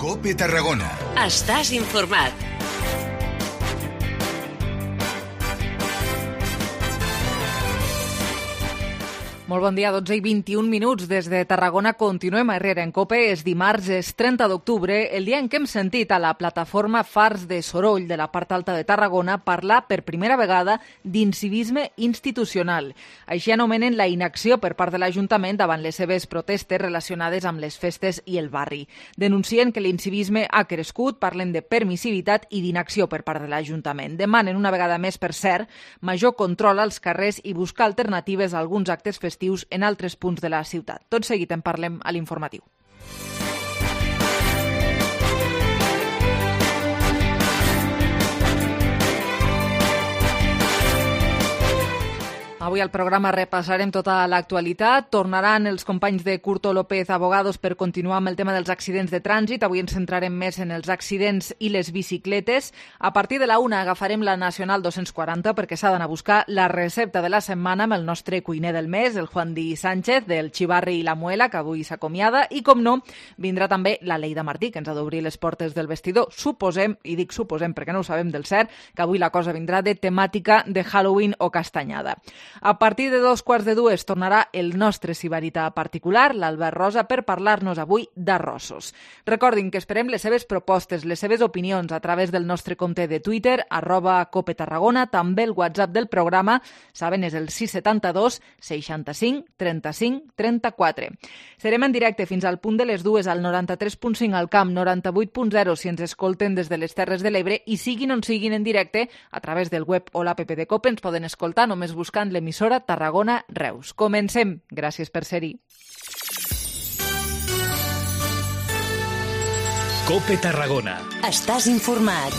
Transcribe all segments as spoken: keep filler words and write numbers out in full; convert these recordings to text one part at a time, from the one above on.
COPE Tarragona. Estàs informat. Molt bon dia, dotze i vint-i-un minuts des de Tarragona. Continuem a Herrera en COPE. És dimarts, és trenta d'octubre, el dia en què hem sentit a la plataforma Fars de Soroll de la part alta de Tarragona parlar per primera vegada d'incivisme institucional. Així anomenen la inacció per part de l'Ajuntament davant les seves protestes relacionades amb les festes i el barri. Denuncien que l'incivisme ha crescut, parlen de permissivitat i d'inacció per part de l'Ajuntament. Demanen una vegada més, per cert, major control als carrers i buscar alternatives a alguns actes festius en altres punts de la ciutat. Tot seguit en parlem a l'informatiu. Avui al programa repassarem tota l'actualitat. Tornaran els companys de Curto López Abogados per continuar amb el tema dels accidents de trànsit. Avui ens centrarem més en els accidents i les bicicletes. A partir de la una agafarem la Nacional dos-cents quaranta perquè s'ha d'anar a buscar la recepta de la setmana amb el nostre cuiner del mes, el Juan Di Sánchez, del Xivarri i la Muela, que avui s'acomiada. I, com no, vindrà també la Leida Martí, que ens ha d'obrir les portes del vestidor. Suposem, i dic suposem perquè no ho sabem del cert, que avui la cosa vindrà de temàtica de Halloween o castanyada. A partir de dos quarts de dues tornarà el nostre sibarita particular, l'Albert Rosa, per parlar-nos avui d'arrossos. Recordin que esperem les seves propostes, les seves opinions a través del nostre compte de Twitter, arroba Cope Tarragona, també el WhatsApp del programa, saben, és el sis setanta-dos seixanta-cinc trenta-cinc trenta-quatre. Serem en directe fins al punt de les dues al noranta-tres punt cinc al Camp, noranta-vuit punt zero si ens escolten des de les Terres de l'Ebre i siguin on siguin en directe, a través del web o l'app de Cope ens poden escoltar només buscant l'emissora Tarragona Reus. Comencem. Gràcies per ser-hi. COPE Tarragona. Estàs informat.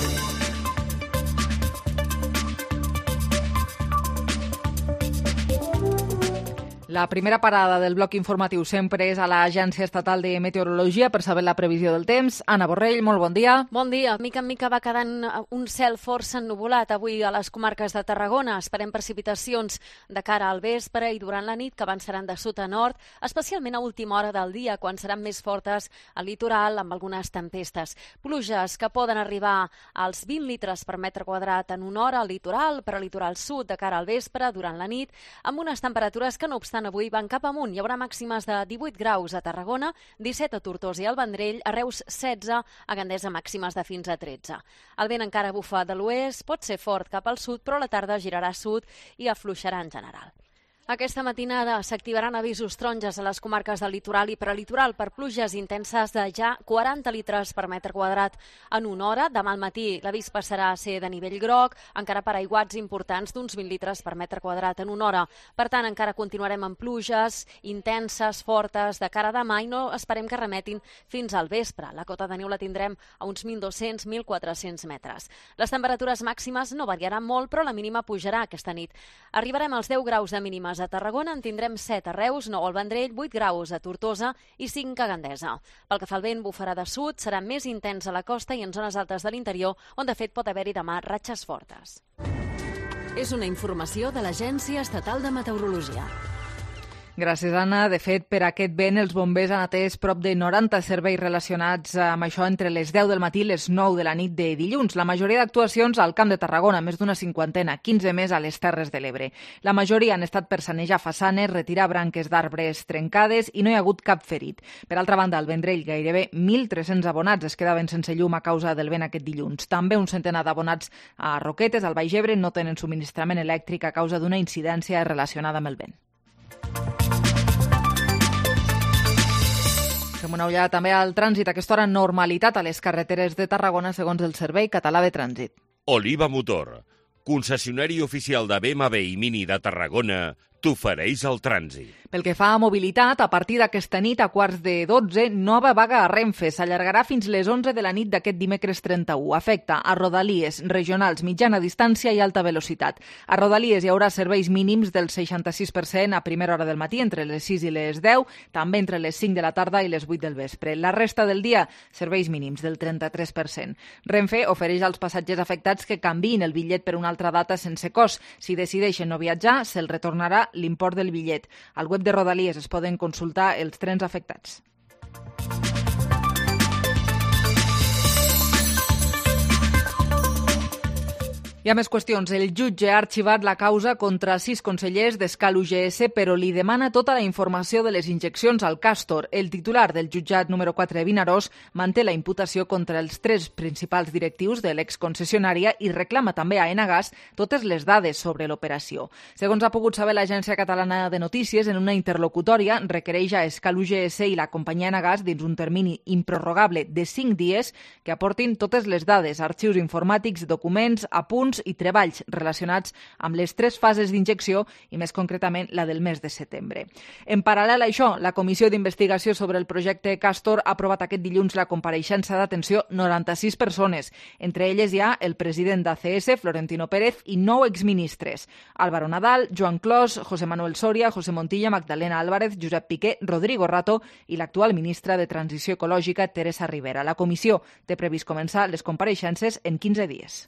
La primera parada del bloc informatiu sempre és a l'Agència Estatal de Meteorologia per saber la previsió del temps. Anna Borrell, molt bon dia. Bon dia. Mica en mica va quedant un cel força ennuvolat avui a les comarques de Tarragona. Esperem precipitacions de cara al vespre i durant la nit que avançaran de sud a nord, especialment a última hora del dia, quan seran més fortes al litoral amb algunes tempestes. Pluges que poden arribar als vint litres per metre quadrat en una hora al litoral, per al litoral sud de cara al vespre, durant la nit, amb unes temperatures que no obstant avui van cap amunt. Hi haurà màximes de divuit graus a Tarragona, disset a Tortosa i al Vendrell, a Reus setze, a Gandesa màximes de fins a tretze. El vent encara bufa de l'oest, pot ser fort cap al sud, però a la tarda girarà a sud i afluixarà en general. Aquesta matinada s'activaran avisos taronges a les comarques del litoral i prelitoral per pluges intenses de ja quaranta litres per metre quadrat en una hora. Demà al matí l'avís passarà a ser de nivell groc, encara per aiguats importants d'uns vint litres per metre quadrat en una hora. Per tant, encara continuarem amb pluges intenses, fortes, de cara a demà i no esperem que remetin fins al vespre. La cota de neu la tindrem a uns mil dos-cents a mil quatre-cents metres. Les temperatures màximes no variaran molt, però la mínima pujarà aquesta nit. Arribarem als deu graus de mínimes a Tarragona, en tindrem set a Reus, nou al Vendrell, vuit graus a Tortosa i cinc a Gandesa. Pel que fa al vent, bufarà de sud, serà més intens a la costa i en zones altes de l'interior, on de fet pot haver-hi demà ratxes fortes. És una informació de l'Agència Estatal de Meteorologia. Gràcies, Anna. De fet, per aquest vent, els bombers han atès prop de noranta serveis relacionats amb això entre les deu del matí i les nou de la nit de dilluns. La majoria d'actuacions al Camp de Tarragona, més d'una cinquantena, quinze més a les Terres de l'Ebre. La majoria han estat per sanejar façanes, retirar branques d'arbres trencades i no hi ha hagut cap ferit. Per altra banda, al Vendrell, gairebé mil tres-cents abonats es quedaven sense llum a causa del vent aquest dilluns. També un centenar d'abonats a Roquetes, al Baix Ebre, no tenen subministrament elèctric a causa d'una incidència relacionada amb el vent. Fem una ullada també al trànsit. A aquesta hora, normalitat a les carreteres de Tarragona segons el Servei Català de Trànsit. Oliva Motor, concessionari oficial de B M W i Mini de Tarragona, t'ofereix el trànsit. Pel que fa a mobilitat, a partir d'aquesta nit a quarts de dotze, nova vaga a Renfe. S'allargarà fins les onze de la nit d'aquest dimecres trenta-u. Afecta a rodalies, regionals, mitjana distància i alta velocitat. A rodalies hi haurà serveis mínims del seixanta-sis per cent a primera hora del matí, entre les sis i les deu, també entre les cinc de la tarda i les vuit del vespre. La resta del dia, serveis mínims del trenta-tres per cent. Renfe ofereix als passatgers afectats que canviïn el bitllet per una altra data sense cost. Si decideixen no viatjar, se'ls retornarà l'import del bitllet. Al web de Rodalies es poden consultar els trens afectats. Hi ha més qüestions. El jutge ha arxivat la causa contra sis consellers d'Escal U G S, però li demana tota la informació de les injeccions al Castor. El titular del jutjat número quatre de Vinaròs manté la imputació contra els tres principals directius de l'exconcessionària i reclama també a Enagas totes les dades sobre l'operació. Segons ha pogut saber l'Agència Catalana de Notícies, en una interlocutòria requereix a Escal U G S i la companyia Enagas, dins un termini improrrogable de cinc dies, que aportin totes les dades, arxius informàtics, documents, apunts i treballs relacionats amb les tres fases d'injecció i més concretament la del mes de setembre. En paral·lel a això, la Comissió d'Investigació sobre el projecte Castor ha aprovat aquest dilluns la compareixença d'atenció noranta-sis persones. Entre elles hi ha el president d'A C S, Florentino Pérez, i nou exministres: Álvaro Nadal, Joan Clos, José Manuel Soria, José Montilla, Magdalena Álvarez, Josep Piqué, Rodrigo Rato i l'actual ministra de Transició Ecològica, Teresa Rivera. La comissió té previst començar les compareixences en quinze dies.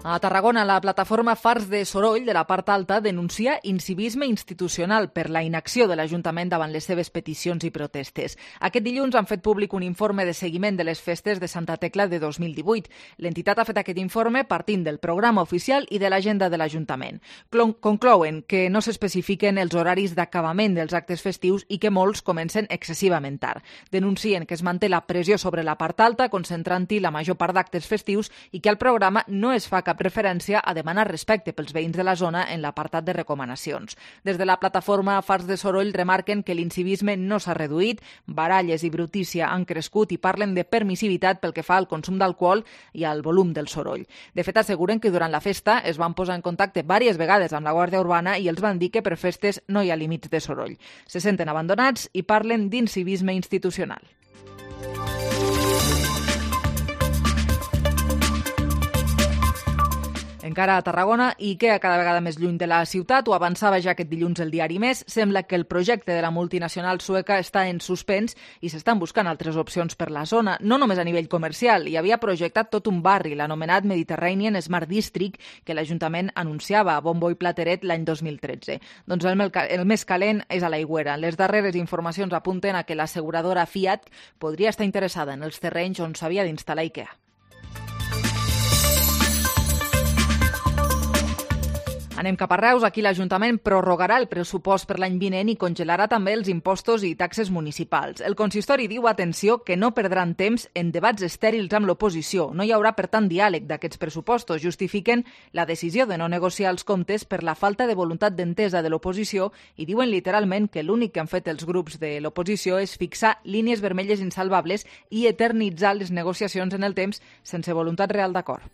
A Tarragona, la plataforma Fars de Soroll, de la part alta, denuncia incivisme institucional per la inacció de l'Ajuntament davant les seves peticions i protestes. Aquest dilluns han fet públic un informe de seguiment de les festes de Santa Tecla de dos mil divuit. L'entitat ha fet aquest informe partint del programa oficial i de l'agenda de l'Ajuntament. Conclouen que no s'especifiquen els horaris d'acabament dels actes festius i que molts comencen excessivament tard. Denuncien que es manté la pressió sobre la part alta, concentrant-hi la major part d'actes festius i que al programa no es fa cap referència a demanar respecte pels veïns de la zona en l'apartat de recomanacions. Des de la plataforma Fars de Soroll remarquen que l'incivisme no s'ha reduït, baralles i brutícia han crescut i parlen de permissivitat pel que fa al consum d'alcohol i al volum del soroll. De fet, asseguren que durant la festa es van posar en contacte diverses vegades amb la Guàrdia Urbana i els van dir que per festes no hi ha límits de soroll. Se senten abandonats i parlen d'incivisme institucional. Encara a Tarragona, IKEA cada vegada més lluny de la ciutat, ho avançava ja aquest dilluns el diari Més, sembla que el projecte de la multinacional sueca està en suspens i s'estan buscant altres opcions per la zona, no només a nivell comercial. Hi havia projectat tot un barri, l'anomenat Mediterranean Smart District, que l'Ajuntament anunciava a bombo i plateret l'any dos mil tretze. Doncs el, el més calent és a l'Aigüera. Les darreres informacions apunten a que l'asseguradora Fiat podria estar interessada en els terrenys on s'havia d'instal·lar IKEA. Anem cap a Reus. Aquí l'Ajuntament prorrogarà el pressupost per l'any vinent i congelarà també els impostos i taxes municipals. El consistori diu, atenció, que no perdran temps en debats estèrils amb l'oposició. No hi haurà, per tant, diàleg d'aquests pressupostos. Justifiquen la decisió de no negociar els comptes per la falta de voluntat d'entesa de l'oposició i diuen literalment que l'únic que han fet els grups de l'oposició és fixar línies vermelles insalvables i eternitzar les negociacions en el temps sense voluntat real d'acord.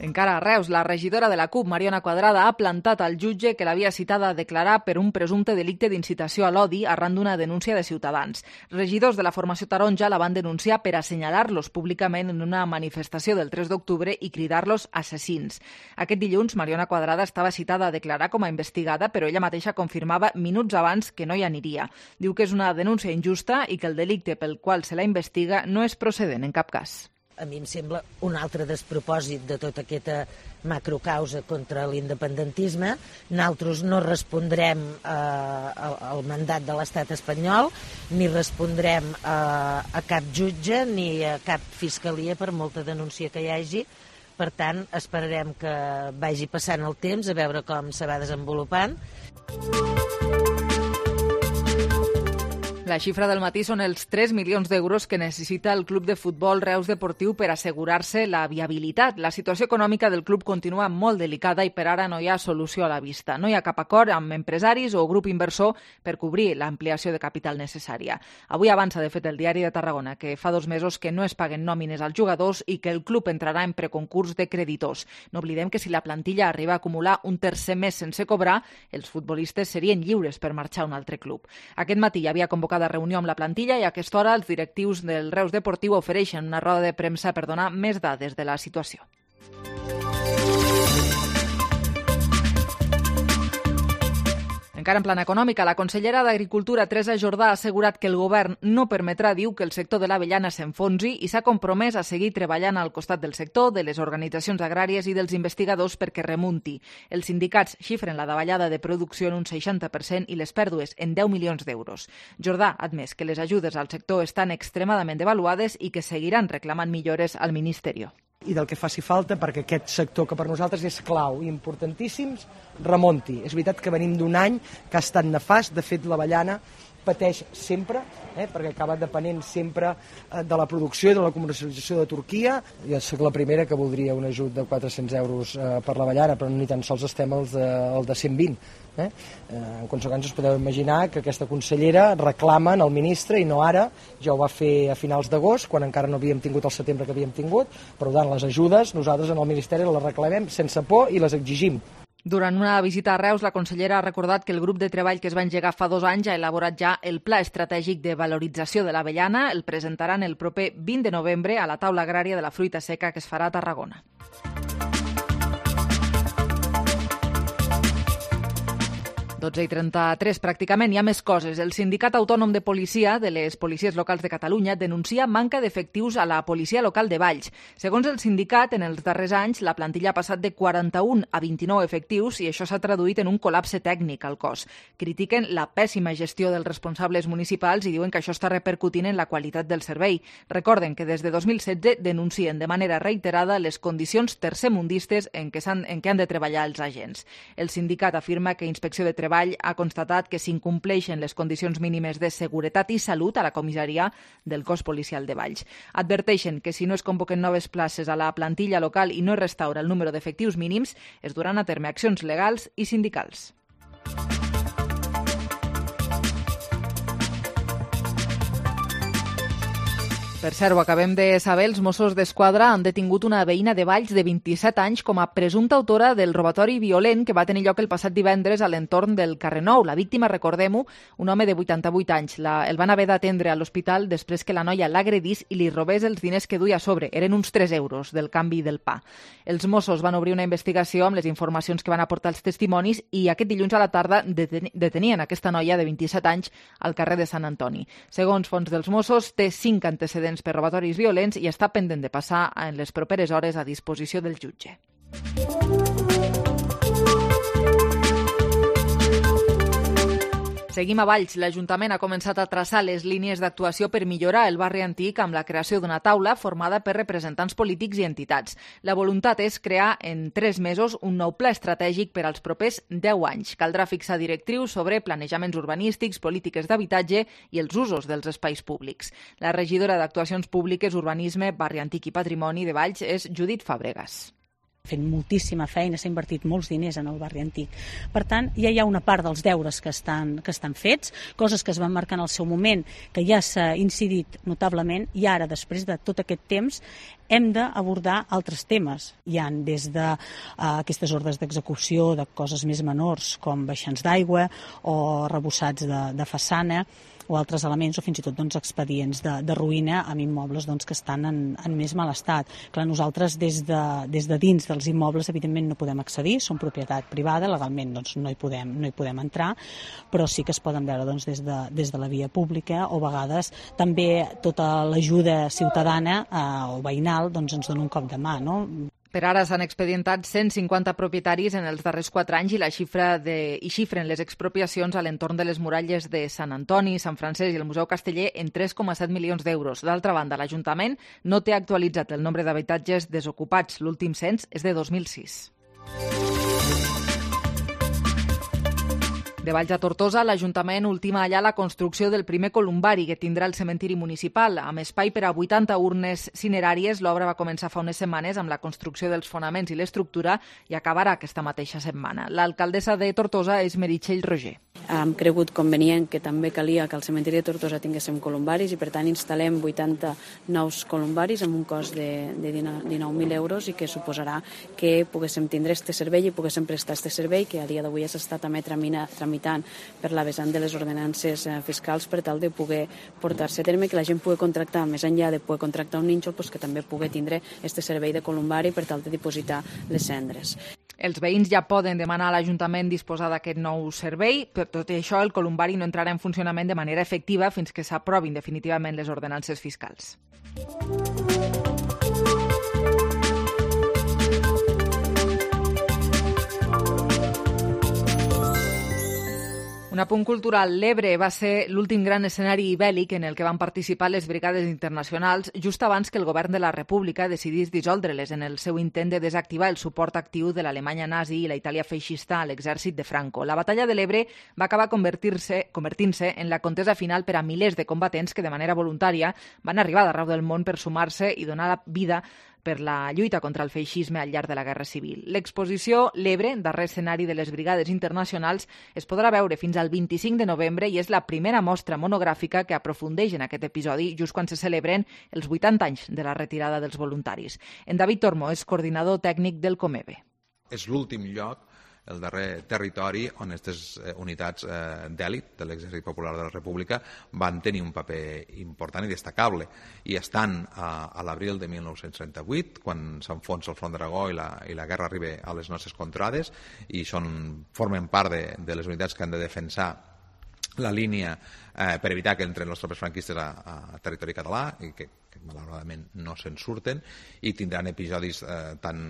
Encara a Reus, la regidora de la CUP, Mariona Quadrada, ha plantat al jutge que l'havia citada a declarar per un presumpte delicte d'incitació a l'odi arran d'una denúncia de Ciutadans. Regidors de la formació taronja la van denunciar per assenyalar-los públicament en una manifestació del tres d'octubre i cridar-los assassins. Aquest dilluns, Mariona Quadrada estava citada a declarar com a investigada, però ella mateixa confirmava minuts abans que no hi aniria. Diu que és una denúncia injusta i que el delicte pel qual se la investiga no és procedent en cap cas. A mi em sembla un altre despropòsit de tota aquesta macrocausa contra l'independentisme. Nosaltres no respondrem eh, al mandat de l'estat espanyol, ni respondrem eh, a cap jutge ni a cap fiscalia per molta denúncia que hi hagi. Per tant, esperarem que vagi passant el temps a veure com se va desenvolupant. La xifra del matí són els tres milions d'euros que necessita el club de futbol Reus Deportiu per assegurar-se la viabilitat. La situació econòmica del club continua molt delicada i per ara no hi ha solució a la vista. No hi ha cap acord amb empresaris o grup inversor per cobrir l'ampliació de capital necessària. Avui avança, de fet, el Diari de Tarragona que fa dos mesos que no es paguen nòmines als jugadors i que el club entrarà en preconcurs de creditors. No oblidem que si la plantilla arriba a acumular un tercer mes sense cobrar, els futbolistes serien lliures per marxar a un altre club. Aquest matí hi havia convocat de reunió amb la plantilla i a aquesta hora els directius del Reus Deportiu ofereixen una roda de premsa per donar més dades de la situació. Encara en plan econòmica, la consellera d'Agricultura, Teresa Jordà, ha assegurat que el govern no permetrà, diu, que el sector de l'avellana s'enfonsi i s'ha compromès a seguir treballant al costat del sector, de les organitzacions agràries i dels investigadors perquè remunti. Els sindicats xifren la davallada de producció en un seixanta per cent i les pèrdues en deu milions d'euros. Jordà ha admès que les ajudes al sector estan extremadament devaluades i que seguiran reclamant millores al Ministeri. I del que faci falta perquè aquest sector, que per nosaltres és clau i importantíssim, remonti. És veritat que venim d'un any que ha estat nefast. De fet, l'avellana pateix sempre, eh, perquè acaba depenent sempre eh, de la producció i de la comercialització de Turquia. Jo soc la primera que voldria un ajut de quatre-cents euros eh, per l'avellana, però ni tan sols estem al de, al de cent vint. Eh? Eh, en conseqüència, us podeu imaginar que aquesta consellera reclama al ministre, i no ara, ja ho va fer a finals d'agost, quan encara no havíem tingut el setembre que havíem tingut, però tant les ajudes, nosaltres en el Ministeri les reclamem sense por i les exigim. Durant una visita a Reus, la consellera ha recordat que el grup de treball que es va engegar fa dos anys ha elaborat ja el Pla Estratègic de Valorització de l'Avellana. El presentaran el proper vint de novembre a la taula agrària de la fruita seca que es farà a Tarragona. dotze i trenta-tres, pràcticament, hi ha més coses. El Sindicat Autònom de Policia de les Policies Locals de Catalunya denuncia manca d'efectius a la Policia Local de Valls. Segons el sindicat, en els darrers anys la plantilla ha passat de quaranta-un a vint-i-nou efectius i això s'ha traduït en un col·lapse tècnic al cos. Critiquen la pèssima gestió dels responsables municipals i diuen que això està repercutint en la qualitat del servei. Recorden que des de dos mil setze denuncien de manera reiterada les condicions tercermundistes en què, han, en què han de treballar els agents. El sindicat afirma que Inspecció de Treball ha constatat que s'incompleixen les condicions mínimes de seguretat i salut a la comissaria del cos policial de Valls. Adverteixen que si no es convoquen noves places a la plantilla local i no es restaura el número d'efectius mínims, es duran a terme accions legals i sindicals. Per cert, ho acabem de saber, els Mossos d'Esquadra han detingut una veïna de Valls de vint-i-set anys com a presumpta autora del robatori violent que va tenir lloc el passat divendres a l'entorn del carrer Nou. La víctima, recordem-ho, un home de vuitanta-vuit anys. La, el van haver d'atendre a l'hospital després que la noia l'agredís i li robés els diners que duia a sobre. Eren uns tres euros del canvi del pa. Els Mossos van obrir una investigació amb les informacions que van aportar els testimonis i aquest dilluns a la tarda deten detenien aquesta noia de vint-i-set anys al carrer de Sant Antoni. Segons fonts dels Mossos, té cinc antecedents per robatoris violents i està pendent de passar en les properes hores a disposició del jutge. Seguim a Valls. L'Ajuntament ha començat a traçar les línies d'actuació per millorar el barri antic amb la creació d'una taula formada per representants polítics i entitats. La voluntat és crear en tres mesos un nou pla estratègic per als propers deu anys. Caldrà fixar directrius sobre planejaments urbanístics, polítiques d'habitatge i els usos dels espais públics. La regidora d'Actuacions Públiques, Urbanisme, Barri Antic i Patrimoni de Valls és Judit Fàbregas. Fent moltíssima feina, s'ha invertit molts diners en el barri antic. Per tant, ja hi ha una part dels deures que estan, que estan fets, coses que es van marcar en el seu moment, que ja s'ha incidit notablement, i ara, després de tot aquest temps, hem d'abordar altres temes. Hi ha des de uh, aquestes ordres d'execució de coses més menors, com baixants d'aigua o arrebossats de, de façana, o altres elements, o fins i tot doncs, expedients de, de ruïna amb immobles doncs, que estan en, en més mal estat. Clar, nosaltres des de, des de dins dels immobles evidentment no podem accedir, són propietat privada, legalment doncs, no, hi podem, no hi podem entrar, però sí que es poden veure doncs, des, de, des de la via pública, o a vegades també tota l'ajuda ciutadana eh, o veïnal doncs, ens dona un cop de mà, no? Per ara s'han expedientat cent cinquanta propietaris en els darrers quatre anys i la xifra de, i xifren les expropiacions a l'entorn de les muralles de Sant Antoni, Sant Francesc i el Museu Casteller en tres coma set milions d'euros. D'altra banda, l'Ajuntament no té actualitzat el nombre d'habitatges desocupats. L'últim cens és de dos mil sis. De Valls a Tortosa, l'Ajuntament ultima allà la construcció del primer columbari que tindrà el cementiri municipal. Amb espai per a vuitanta urnes cineràries, l'obra va començar fa unes setmanes amb la construcció dels fonaments i l'estructura i acabarà aquesta mateixa setmana. L'alcaldessa de Tortosa és Meritxell Roger. Hem cregut convenient que també calia que al cementiri de Tortosa tinguéssim columbaris i per tant instal·lem vuitanta nous columbaris amb un cost de, de dinou mil euros i que suposarà que poguéssim tindre este servei i poguéssim prestar este servei que a dia d'avui s'està també tramitant per la vessant de les ordenances fiscals per tal de poder portar-se a terme, que la gent pugui contractar, més enllà de poder contractar un nínxol, doncs que també pugui tindre este servei de columbari per tal de dipositar les cendres. Els veïns ja poden demanar a l'Ajuntament disposar d'aquest nou servei. Per tot això, el columbari no entrarà en funcionament de manera efectiva fins que s'aprovin definitivament les ordenances fiscals. Un apunt cultural. L'Ebre va ser l'últim gran escenari bèl·lic en el que van participar les brigades internacionals just abans que el govern de la República decidís dissoldre-les en el seu intent de desactivar el suport actiu de l'Alemanya nazi i la Itàlia feixista a l'exèrcit de Franco. La batalla de l'Ebre va acabar convertir-se convertint-se en la contesa final per a milers de combatents que de manera voluntària van arribar d'arreu del món per sumar-se i donar la vida per la lluita contra el feixisme al llarg de la Guerra Civil. L'exposició L'Ebre, darrer escenari de les brigades internacionals, es podrà veure fins al vint-i-cinc de novembre i és la primera mostra monogràfica que aprofundeix en aquest episodi just quan se celebren els vuitanta anys de la retirada dels voluntaris. En David Tormo és coordinador tècnic del Comebe. És l'últim lloc, el darrer territori on aquestes unitats d'èlit de l'Exèrcit Popular de la República van tenir un paper important i destacable. I estan a, a l'abril de mil nou-cents trenta-vuit, quan s'enfonsa el Front d'Aragó i, la, i la guerra arriba a les nostres contrades, i són, formen part de, de les unitats que han de defensar la línia eh, per evitar que entren les tropes franquistes a, a territori català i que, que malauradament no se'n surten, i tindran episodis eh, tan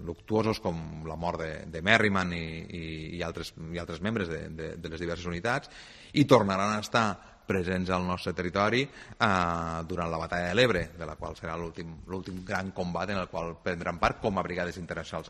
luctuosos com la mort de, de Merriman i, i, i, altres, i altres membres de, de, de les diverses unitats, i tornaran a estar presents al nostre territori eh, durant la batalla de l'Ebre, de la qual serà l'últim l'últim gran combat en el qual prendran part com a brigades internacionals.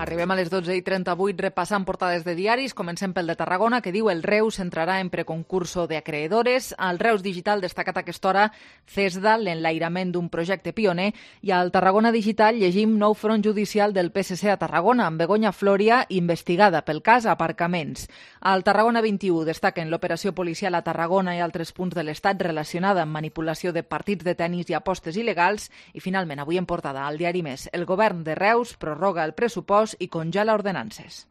Arribem a les dotze i trenta-vuit repassant portades de diaris. Comencem pel de Tarragona, que diu el Reus entrarà en preconcurso de acreedores. Al Reus Digital destacat a aquesta hora CESDA, l'enlairament d'un projecte pioner, i al Tarragona Digital llegim nou front judicial del P S C a Tarragona, amb Begoña Floria investigada pel cas Aparcaments. Al Tarragona vint-i-u destaquen l'operació policial a Tarragona i altres punts de l'Estat relacionada amb manipulació de partits de tennis i apostes il·legals. I finalment, avui en portada al diari Més, el govern de Reus prorroga el pressupost i congela ordenances.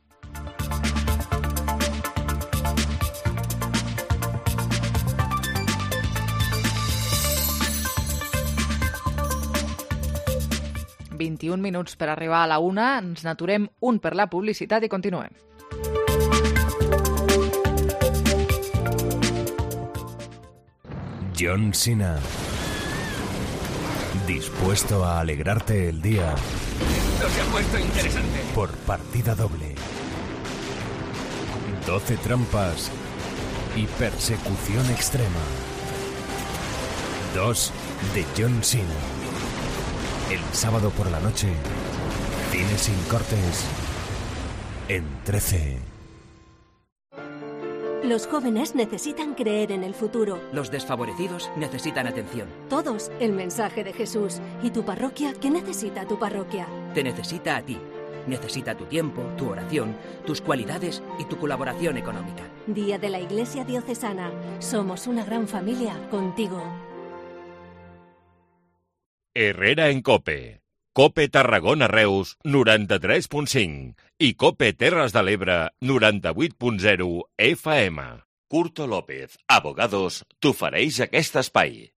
vint-i-un minuts per arribar a la una. Ens n'aturem un per la publicitat i continuem. John Cena. Dispuesto a alegrarte el día. Esto se ha puesto interesante. Por partida doble. doce trampas y persecución extrema. dos de John Cena. El sábado por la noche, cine sin cortes en trece. Los jóvenes necesitan creer en el futuro. Los desfavorecidos necesitan atención. Todos el mensaje de Jesús. ¿Y tu parroquia? ¿Qué necesita tu parroquia? Te necesita a ti. Necesita tu tiempo, tu oración, tus cualidades y tu colaboración económica. Día de la Iglesia Diocesana. Somos una gran familia contigo. Herrera en COPE. COPE Tarragona Reus, noranta-tres punt cinc. I COPE Terres de l'Ebre, noranta-vuit punt zero F M. Curto López, Abogados, t'ofereix aquest espai.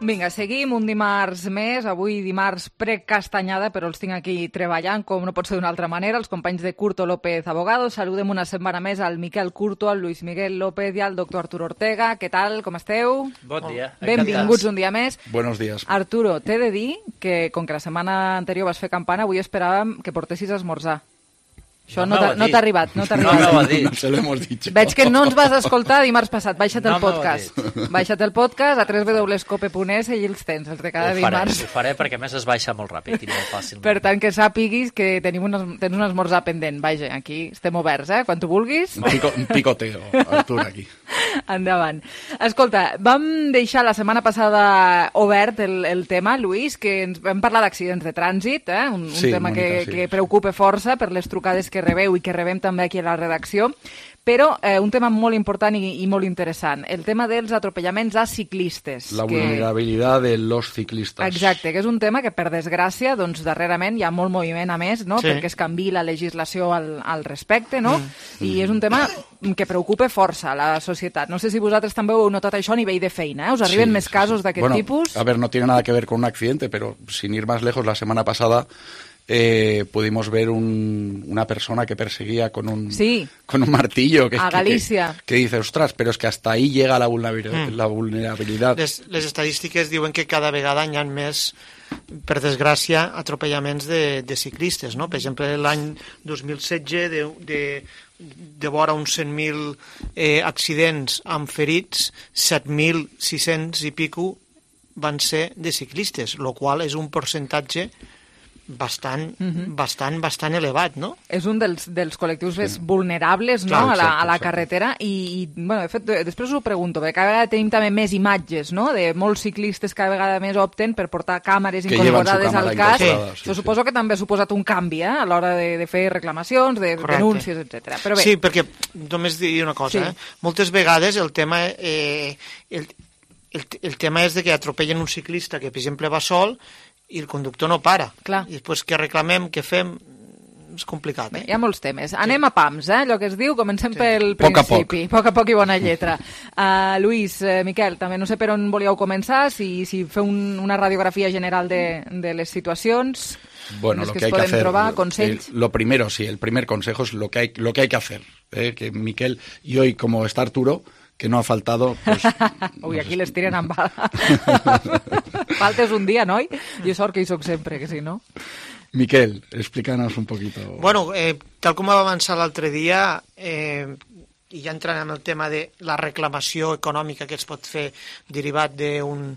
Vinga, seguim un dimarts més, avui dimarts precastanyada, però els tinc aquí treballant, com no pot ser d'una altra manera, els companys de Curto López Abogados. Saludem una setmana més al Miquel Curto, al Luis Miguel López i al doctor Arturo Ortega. Què tal, com esteu? Bon dia. Benvinguts un dia més. Buenos días. Arturo, t'he de dir que, com que la setmana anterior vas fer campana, avui esperàvem que portessis a esmorzar. Això no, no t'ha arribat, no t'ha arribat. No, no, no se lo hemos dicho. Veig que no ens vas escoltar dimarts passat. Baixa't el no podcast. Baixa't el podcast a w w w punt cope punt es i els tens, els de cada ho dimarts. Faré, ho faré perquè a més es baixa molt ràpid i molt fàcil. Per tant, que sàpiguis que tenim un, tens un esmorzar pendent. Vaja, aquí estem oberts, eh? Quan tu vulguis. Un, pico, un picoteo, Artur, aquí. Endavant. Escolta, vam deixar la setmana passada obert el, el tema, Lluís, que ens vam parlar d'accidents de trànsit, eh? un, un sí, tema Mònica, que, sí. que preocupa força per les trucades que rebeu i que rebem també aquí a la redacció, Però eh, un tema molt important i, i molt interessant, el tema dels atropellaments a ciclistes. La que... vulnerabilitat de los ciclistes. Exacte, que és un tema que, per desgràcia, doncs, darrerament hi ha molt moviment, a més, no? Sí. Perquè es canvi la legislació al, al respecte, no? Mm. I és un tema que preocupa força a la societat. No sé si vosaltres també heu notat això a nivell de feina, eh? Us arriben Sí, més sí, casos sí. d'aquest Bueno, tipus? A ver, no tiene nada que ver con un accidente, pero sin ir más lejos, la semana pasada eh, pudimos ver un, una persona que perseguía con un, sí. con un martillo. Que, a Galícia. Que, que dice, ostras, pero es que hasta ahí llega la vulnerabilidad. Mm. La vulnerabilidad. Les, les estadístiques diuen que cada vegada hi ha més, per desgràcia, atropellaments de, de ciclistes, no? Per exemple, l'any dos mil setze, de, de, de vora uns cent mil eh, accidents amb ferits, set mil sis-cents i pico van ser de ciclistes, el qual és un percentatge bastant, uh-huh. bastant, bastant elevat, no? És un dels, dels col·lectius més vulnerables, no? Clar, a, la, a la exacte, carretera i, i bueno, de fet, després us ho pregunto, perquè cada vegada tenim també més imatges, no?, de molts ciclistes cada vegada més opten per portar càmeres que incorporades al cas. Sí. Això sí, suposo sí. que també ha suposat un canvi, eh?, a l'hora de, de fer reclamacions, de Correcte. denúncies, etcètera. Però bé. Sí, perquè només dir una cosa, sí. eh? Moltes vegades el tema eh, el, el, el tema és de que atropellen un ciclista que, per exemple, va sol i el conductor no para. Clar. I després què reclamem, què fem, és complicat. Eh? Bé, hi ha molts temes. Anem sí. a pams, eh? Allò que es diu, comencem sí. pel poc principi. A poc. poc a poc i bona lletra. Uh, Lluís, uh, Miquel, també no sé per on volíeu començar, si, si feu un, una radiografia general de, de les situacions... Bueno, lo que, que hay que hacer, trobar, consells. Eh, lo primero, sí, el primer consejo es lo que hay, lo que hay que hacer. Eh, que Miquel, y hoy como está Arturo, que no ha faltado... Pues, Uy, no aquí sé. Les tiren amb bala. Faltes un dia, noi? Jo sort que hi soc sempre, que si no... Miquel, explícanos un poquito. Bueno, eh, tal com va avançar l'altre dia, eh, i ja entrant en el tema de la reclamació econòmica que es pot fer derivat d'un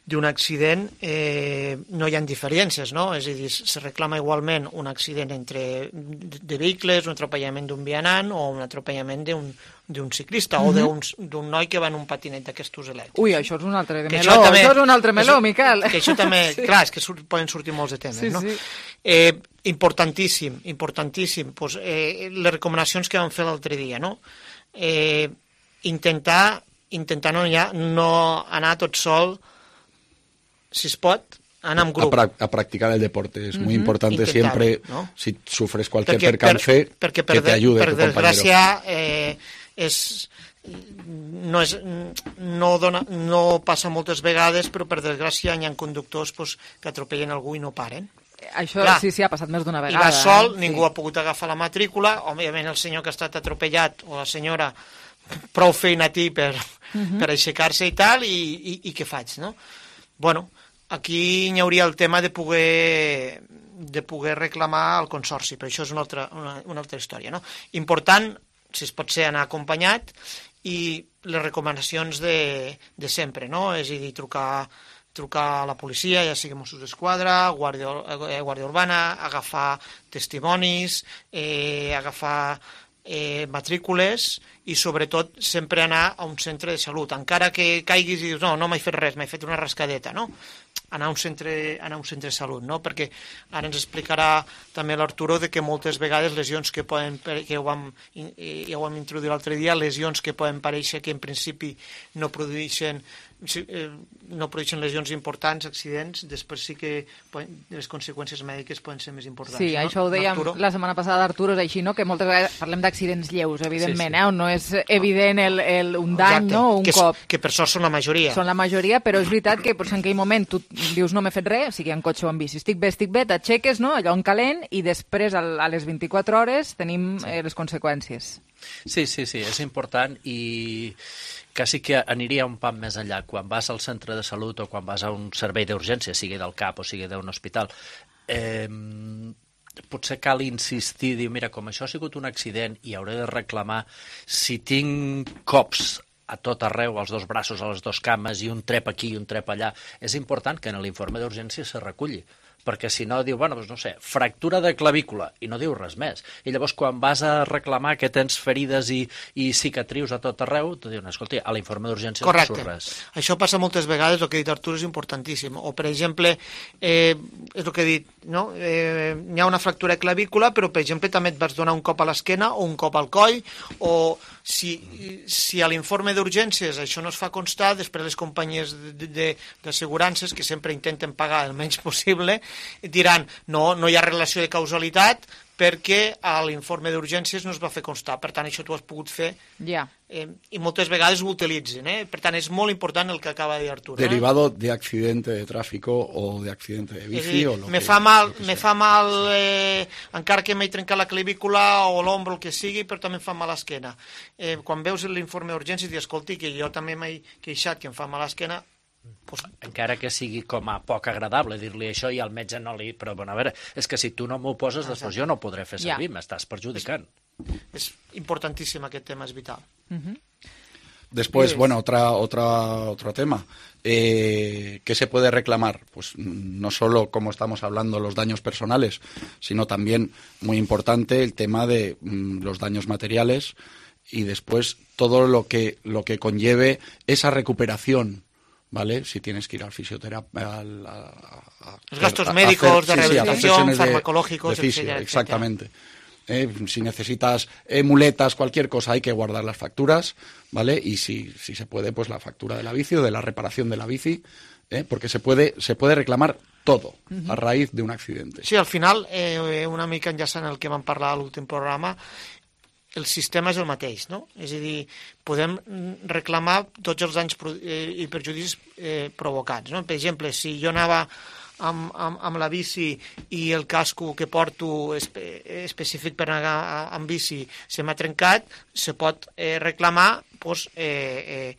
d'un accident, eh, no hi ha diferències, no? És a dir, se reclama igualment un accident entre de vehicles, un atropellament d'un vianant o un atropellament d'un d'un ciclista mm-hmm. o d'un noi que va en un patinet d'aquestos elèctrics. Ui, això és un altre meló, això, també, això és un altre meló, és, Miquel. Que això també, sí. Clar, és que surt, poden sortir molts de temes, sí, no? Sí. Eh, importantíssim, importantíssim, pues, eh, les recomanacions que vam fer l'altre dia, no? Eh, intentar, intentar no, ja, no anar tot sol, si es pot, anar amb grup. A, pra a practicar el deporte. Es uh-huh. muy importante Intentar, siempre, ¿no? si sufres cualquier perquè, percance, per, que per te ayude per tu compañero. Per desgràcia, eh, és, no, és, no, dona, no passa moltes vegades, però per desgràcia hi ha conductors pues, que atropellen algú i no paren. Això Clar, sí, sí, ha passat més d'una vegada. I va sol, eh? ningú sí. ha pogut agafar la matrícula, òbviament el senyor que ha estat atropellat o la senyora prou feina a ti per, uh-huh. per aixecar-se i tal, i, i, i què faig, no? Bueno, aquí hi hauria el tema de poder, de poder reclamar al consorci, però això és una altra, una, una altra història, no? Important, si es pot ser, anar acompanyat, i les recomanacions de, de sempre, no? És a dir, trucar, trucar a la policia, ja sigui Mossos d'Esquadra, Guàrdia, eh, Guàrdia Urbana, agafar testimonis, eh, agafar eh, matrícules i sobretot sempre anar a un centre de salut, encara que caiguis i dius no, no m'he fet res, m'he fet una rascadeta, no? Anar a un centre, anar a un centre de salut, no? Perquè ara ens explicarà també l'Arturo de que moltes vegades lesions que poden, que ho vam, ja ho vam introduir l'altre dia, lesions que poden parèixer que en principi no produeixen no produeixen lesions importants, accidents, després sí que poden, les conseqüències mèdiques poden ser més importants. Sí, no? això ho dèiem Arturo? La setmana passada, Arturo, és així, no? Que moltes vegades parlem d'accidents lleus, evidentment, sí, sí. Eh? On no és evident el, el, un dany, exacte, no? Un que, cop. Que per sort són la majoria. Són la majoria, però és veritat que potser en aquell moment tu dius no m'he fet res, sigui en cotxe o en bici, estic bé, estic bé, t'aixeques, no? Allò en calent, i després a les vint-i-quatre hores tenim sí. eh, les conseqüències. Sí, sí, sí, és important i quasi que aniria un pam més enllà. Quan vas al centre de salut o quan vas a un servei d'urgència, sigui del CAP o sigui d'un hospital, eh, potser cal insistir, dir, mira, com això ha sigut un accident i hauré de reclamar, si tinc cops a tot arreu, als dos braços, a les dues cames, i un trep aquí i un trep allà, és important que en l'informe d'urgència se reculli, perquè si no diu, bueno, doncs no sé, fractura de clavícula, i no diu res més. I llavors quan vas a reclamar que tens ferides i, i cicatrius a tot arreu, tu diuen, escolta, a l'informe d'urgència no surt res. Això passa moltes vegades, el que ha dit Artur és importantíssim. O, per exemple, eh, és el que he dit, no? eh, hi ha una fractura de clavícula, però, per exemple, també et vas donar un cop a l'esquena o un cop al coll, o si, si a l'informe d'urgències això no es fa constar, després les companyies d'assegurances, que sempre intenten pagar el menys possible, diran, no, no hi ha relació de causalitat perquè a l'informe d'urgències no es va fer constar. Per tant, això tu has pogut fer yeah. eh, i moltes vegades ho utilitzen. Eh? Per tant, és molt important el que acaba de dir Artur. Derivado eh? de accidente de tráfico o de accidente de bici dir, o lo me que, fa mal, lo que me sea. fa mal eh, encara que m'he trencat la clavícula o l'ombro, el que sigui, però també em fa mal l'esquena. Eh, quan veus l'informe d'urgències i dius, escolti, que jo també m'he queixat que em fa mal l'esquena, pues, encara que sigui com a poc agradable dir-li això i al metge no li... Però, bueno, a veure, és que si tu no m'ho poses, després jo no ho podré fer servir, ja. M'estàs perjudicant. És importantíssim aquest tema, és vital. Uh-huh. Después, yes. bueno, otra, otra, otro tema. Eh, ¿Qué se puede reclamar? Pues no solo, como estamos hablando, los daños personales, sino también, muy importante, el tema de mm, los daños materiales y después todo lo que, lo que conlleve esa recuperación. ¿Vale? Si tienes que ir al fisioterapeuta... Al, a, a, Los gastos a, a médicos, hacer, de sí, rehabilitación, sí, farmacológicos, de, de fisio, etcétera, exactamente. Eh, si necesitas eh, muletas, cualquier cosa, hay que guardar las facturas, ¿vale? Y si, si se puede, pues la factura de la bici o de la reparación de la bici, eh, porque se puede, se puede reclamar todo uh-huh. a raíz de un accidente. Sí, al final, eh, una mica enllaçant el que vam parlar a l'últim programa, el sistema és el mateix, no? És a dir, podem reclamar tots els danys i perjudicis eh, provocats, no? Per exemple, si jo anava amb, amb, amb la bici i el casco que porto espe, específic per anar amb bici se m'ha trencat, se pot eh, reclamar pues, eh, eh,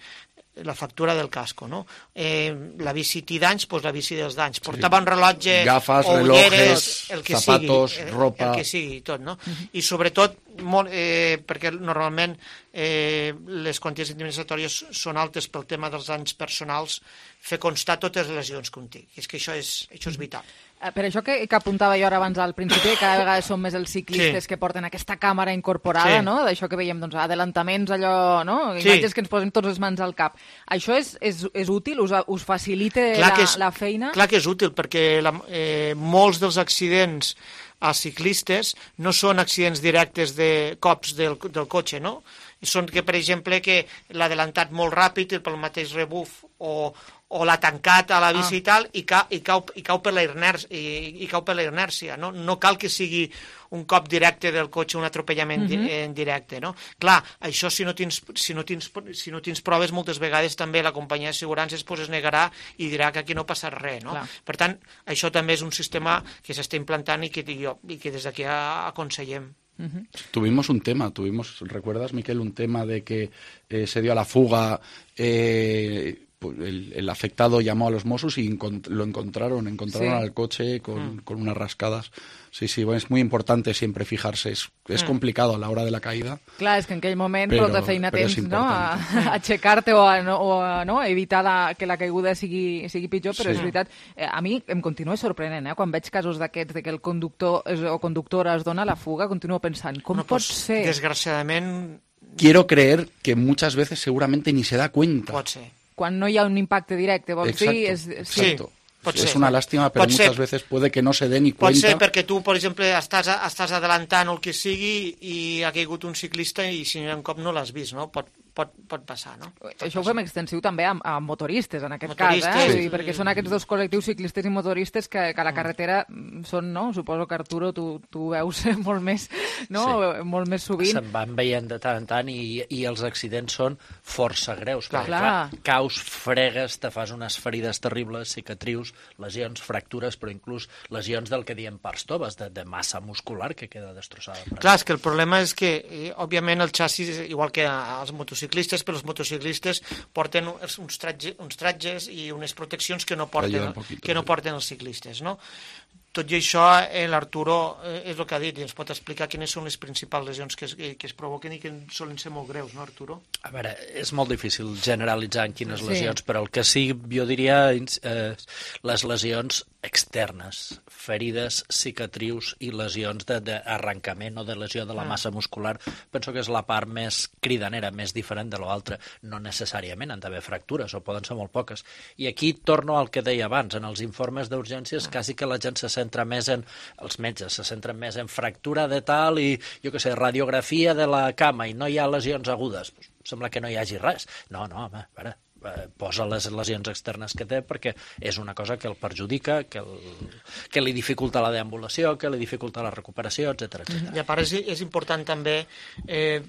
la factura del casco, no? Eh, la bici té danys, doncs la bici dels danys. Portava un rellotge, gafes, o relojes, el que zapatos, sigui, ropa... El que sigui, tot, no? Uh-huh. I sobretot, molt, eh, perquè normalment eh, les quanties indemnitzatori·es són altes pel tema dels danys personals, fer constar totes les lesions que un té. I és que això és, això és vital. Per això que, que apuntava jo ara abans al principi, cada vegada són més els ciclistes sí. que porten aquesta càmera incorporada, sí. no? D'això que veiem, doncs, adelantaments, allò, no? Imatges sí. que ens posen tots les mans al cap. Això és, és, és útil? Us, us facilita la, és, la feina? Clar que és útil, perquè la, eh, molts dels accidents a ciclistes no són accidents directes de cops del, del cotxe, no? Són que, per exemple, que l'ha adelantat molt ràpid pel mateix rebuf o, o l'ha tancat a la bici ah. i tal, i cau, i cau, i cau per la inèrcia, i, i cau per la inèrcia, no? No cal que sigui un cop directe del cotxe, un atropellament uh-huh. en directe, no? Clar, això si no tens, si no tens, si no tens proves, moltes vegades també la companyia d'assegurances pues, es negarà i dirà que aquí no passa res, no? Clar. Per tant, això també és un sistema que s'està implantant i que, jo, i que des d'aquí aconsellem. Uh-huh. Tuvimos un tema, tuvimos, ¿recuerdas, Miquel, un tema de que eh, se dio a la fuga, eh, el, el afectado llamó a los Mossos y encont- lo encontraron, encontraron sí. al coche con, mm. con unas rascadas. Sí, sí, bueno, es muy importante siempre fijarse, es, es mm. complicado a la hora de la caïda. Clar, és que en aquell moment però, prou de feina tens no? a, a aixecar-te o a, no, o a no? evitar la, que la caiguda sigui, sigui pitjor, però sí. és veritat, eh, a mi em continua sorprenent, eh? Quan veig casos d'aquests, de que el conductor es, o conductora es dona la fuga, continuo pensant, com no, pot pues, ser? Desgraciadament... Quiero creer que muchas veces seguramente ni se da cuenta. Pot ser. Quan no hi ha un impacte directe, vols exacto, dir? És, sí. Exacto. Es una lástima, pero muchas ser. veces puede que no se dé ni cuenta. Pot ser perquè tu, per exemple, estàs, estàs adelantant el que sigui i ha caigut un ciclista i si un cop no l'has vist, no? Pot, pot, pot passar, no? Pot Això ho fem extensiu també a, a motoristes, en aquest motoristes, cas, eh? Sí. Dir, perquè són aquests dos col·lectius, ciclistes i motoristes, que, que a la carretera són, no? Suposo que, Arturo, tu, tu veus molt més, no? Sí. Molt més sovint. Se'n van veient de tant en tant i, i els accidents són força greus. Clar, perquè, clar. clar, caus, fregues, te fas unes ferides terribles, cicatrius, lesions, fractures, però inclús lesions del que diem parts toves, de, de massa muscular que queda destrossada. Clar, és que el problema és que, eh, òbviament, el xassis, igual que els motociclistes, però els motociclistes porten uns, tratge, uns tratges i unes proteccions que no porten, que no porten els ciclistes, no? tot i això, eh, l'Arturo eh, és el que ha dit, i ens pot explicar quines són les principals lesions que es, que es provoquen i que solen ser molt greus, no, Arturo? A veure, és molt difícil generalitzar en quines Sí. lesions, però el que sí, jo diria, eh, les lesions externes, ferides, cicatrius i lesions d'arrencament o de lesió de la Ah. massa muscular, penso que és la part més cridanera, més diferent de l'altra. No necessàriament han d'haver fractures, o poden ser molt poques. I aquí torno al que deia abans, en els informes d'urgències, quasi que la gent se centra més en, els metges se centren més en fractura de tal i, jo què sé, radiografia de la cama i no hi ha lesions agudes. Pues, sembla que no hi hagi res. No, no, home, a veure, posa les lesions externes que té perquè és una cosa que el perjudica, que, el, que li dificulta la deambulació, que li dificulta la recuperació, etcètera, etcètera. I a part és, és important també eh,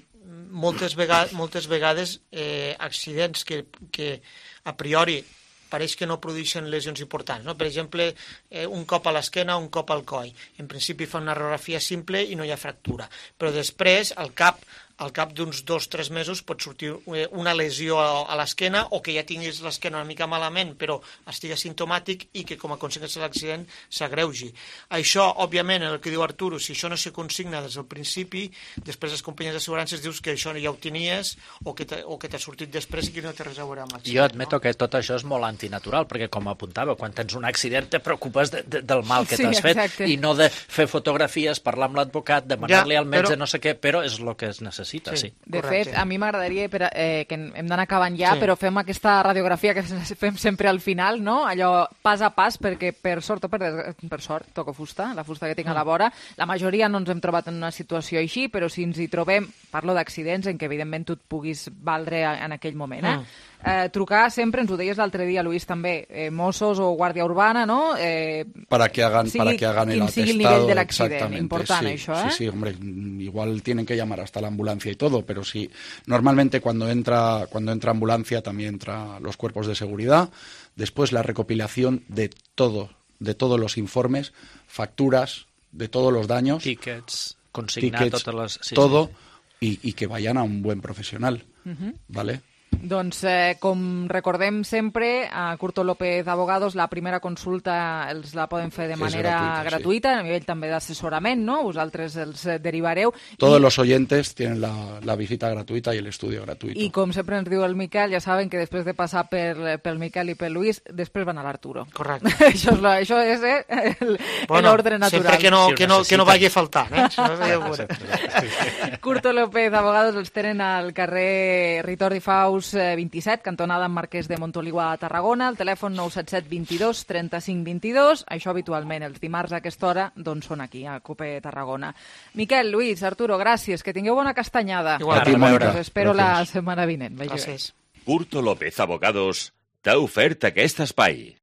moltes, vegades, moltes vegades eh, accidents que, que a priori pareix que no produeixen lesions importants. No? Per exemple, eh, un cop a l'esquena, un cop al coll. En principi fa una radiografia simple i no hi ha fractura. Però després, al cap, al cap d'uns dos o tres mesos pot sortir una lesió a l'esquena o que ja tinguis l'esquena una mica malament però estigui simptomàtic i que com a conseqüència de l'accident s'agreugi. Això, òbviament, el que diu Arturo, si això no se consigna des del principi, després les companyies d'assegurances dius que això ja ho tenies o que t'ha sortit després i que no té res a veure amb l'accident. Jo admeto no? que tot això és molt antinatural, perquè com apuntava, quan tens un accident te preocupes de, de, del mal que Sí, t'has fet exacte. i no de fer fotografies, parlar amb l'advocat, demanar-li Ja, al metge, però- no sé què, però és el que es necessita. Sí, sí. De fet, a mi m'agradaria, per, eh, que hem d'anar acabant ja, Sí. però fem aquesta radiografia que fem sempre al final, no? Allò pas a pas, perquè per sort o per, des... per sort, toco fusta, la fusta que tinc a la vora, la majoria no ens hem trobat en una situació així, però si ens hi trobem, parlo d'accidents en què evidentment tu et puguis valdre en aquell moment, eh? Mm. Eh, trucar sempre, ens ho deies l'altre dia, Luis, també, eh, Mossos o Guàrdia Urbana, no? Eh, para que hagan, sigui para que hagan el quin sigui el atestado. nivell de l'accident, exactamente, important sí, això, eh? Sí, sí, hombre, igual tienen que llamar hasta la ambulancia y todo, pero sí, normalmente cuando entra, cuando entra ambulancia también entra los cuerpos de seguridad, después la recopilación de todo, de todos los informes, facturas, de todos los daños, Tickets, consignar tickets, totes les... Sí, todo, sí. Y, y que vayan a un buen profesional, Mhm. ¿vale? Doncs, eh, com recordem sempre, a Curto López Abogados, la primera consulta els la poden fer de És manera gratuïta, sí. gratuïta, a nivell també d'assessorament, no? Vosaltres els eh, derivareu. Todos I, los oyentes tienen la, la visita gratuita y el estudio gratuito. I com sempre ens diu el Miquel, ja saben que després de passar per, pel Miquel i pel Luis, després van a l'Arturo. Correcte. això és, la, això és eh, el- Bueno, l'ordre natural. sempre que no, Si ho que no, que no necessiten. vagi a faltar, eh? Si no, ja ho veurem. Curto López Abogados els tenen al carrer Ritordi Faus eh, vint-i-set, cantonada amb Marquès de Montoliu a Tarragona, el telèfon nou set set vint-i-dos trenta-cinc vint-i-dos, això habitualment els dimarts a aquesta hora doncs són aquí, a COPE Tarragona. Miquel, Luis, Arturo, gràcies, que tingueu bona castanyada. Igual. A ti, Mónica. Us espero la Gracias. setmana vinent. Vagi bé. Gràcies. Curto López Abogados t'ha ofert aquest espai.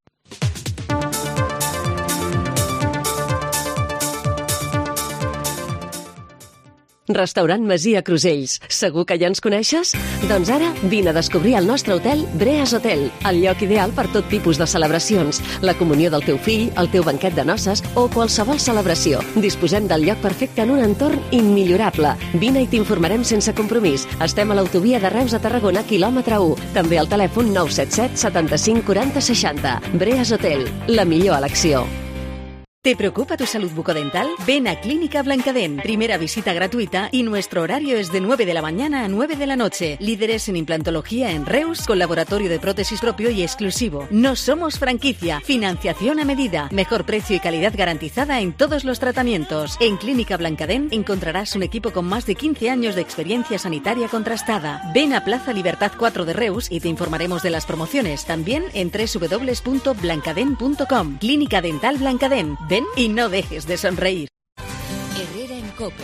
Restaurant Masia Crusells. Segur que ja ens coneixes? Doncs ara vine a descobrir el nostre hotel Breas Hotel, el lloc ideal per tot tipus de celebracions, la comunió del teu fill, el teu banquet de noces o qualsevol celebració. Disposem del lloc perfecte en un entorn immillorable. Vine i t'informarem sense compromís. Estem a l'autovia de Reus a Tarragona, quilòmetre u. També al telèfon nou set set setanta-cinc quaranta seixanta. Breas Hotel, la millor elecció. ¿Te preocupa tu salud bucodental? Ven a Clínica Blancadent. Primera visita gratuita y nuestro horario es de nueve de la mañana a nueve de la noche. Líderes en implantología en Reus, con laboratorio de prótesis propio y exclusivo. No somos franquicia. Financiación a medida. Mejor precio y calidad garantizada en todos los tratamientos. En Clínica Blancadent encontrarás un equipo con más de quince años de experiencia sanitaria contrastada. Ven a Plaza Libertad cuatro de Reus y te informaremos de las promociones. También en doble u doble u doble u punto blancadent punto com. Clínica Dental Blancadent. Ven y no dejes de sonreír. Herrera en COPE.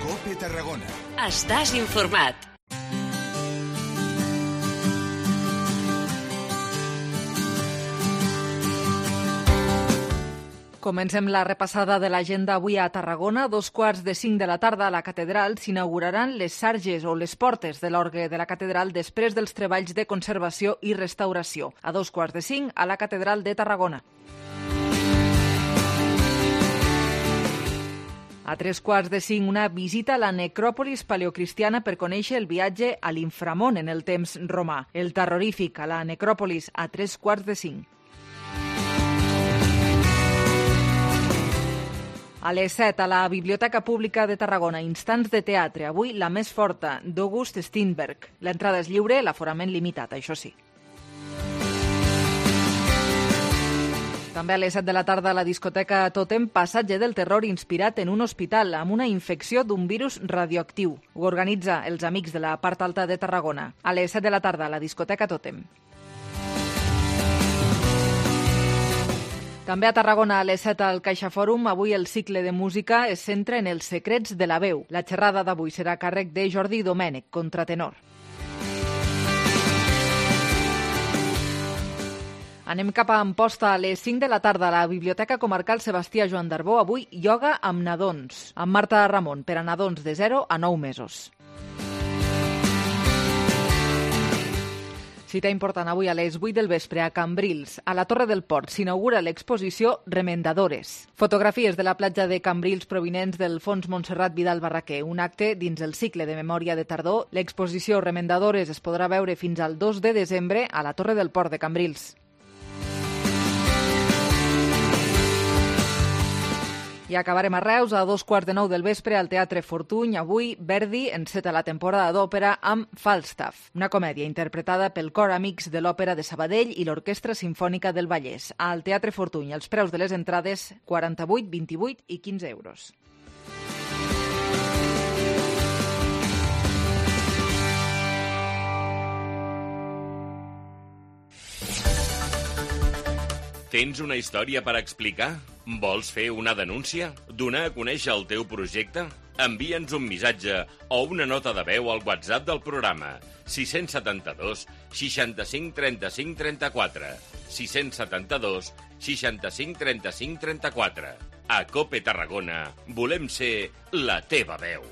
COPE Tarragona. Estàs informat. Comencem la repassada de l'agenda avui a Tarragona. Dos quarts de cinc de la tarda a la catedral s'inauguraran les sarges o les portes de l'orgue de la catedral després dels treballs de conservació i restauració. A dos quarts de cinc a la catedral de Tarragona. A tres quarts de cinc, una visita a la necròpolis paleocristiana per conèixer el viatge a l'inframón en el temps romà. El terrorífic a la necròpolis a tres quarts de cinc. A les set, a la Biblioteca Pública de Tarragona, Instants de teatre. Avui, La més forta, d'August Strindberg. L'entrada és lliure, l'aforament limitat, això sí. També a les set de la tarda a la discoteca Totem, passatge del terror inspirat en un hospital amb una infecció d'un virus radioactiu. Ho organitza els amics de la part alta de Tarragona. A les set de la tarda a la discoteca Totem. També a Tarragona, a les set al CaixaFòrum, avui el cicle de música es centra en els secrets de la veu. La xerrada d'avui serà a càrrec de Jordi Domènech, contratenor. Anem cap a Amposta a les cinc de la tarda a la Biblioteca Comarcal Sebastià Joan d'Arbó. Avui, ioga amb nadons, amb Marta Ramon, per a nadons de zero a nou mesos. Cita important avui a les vuit del vespre a Cambrils. A la Torre del Port s'inaugura l'exposició Remendadores. Fotografies de la platja de Cambrils provinents del Fons Montserrat Vidal Barraquer. Un acte dins el cicle de memòria de tardor. L'exposició Remendadores es podrà veure fins al dos de desembre a la Torre del Port de Cambrils. I acabarem a Reus a dos quarts de nou del vespre al Teatre Fortuny. Avui, Verdi enceta la temporada d'òpera amb Falstaff, una comèdia interpretada pel Cor Amics de l'Òpera de Sabadell i l'Orquestra Simfònica del Vallès. Al Teatre Fortuny, els preus de les entrades quaranta-vuit, vint-i-vuit i quinze euros. Tens una història per explicar? Vols fer una denúncia? Donar a conèixer el teu projecte? Envia'ns un missatge o una nota de veu al WhatsApp del programa sis set dos, seixanta-cinc, trenta-cinc, trenta-quatre. sis set dos, seixanta-cinc, trenta-cinc, trenta-quatre. A COPE Tarragona volem ser la teva veu.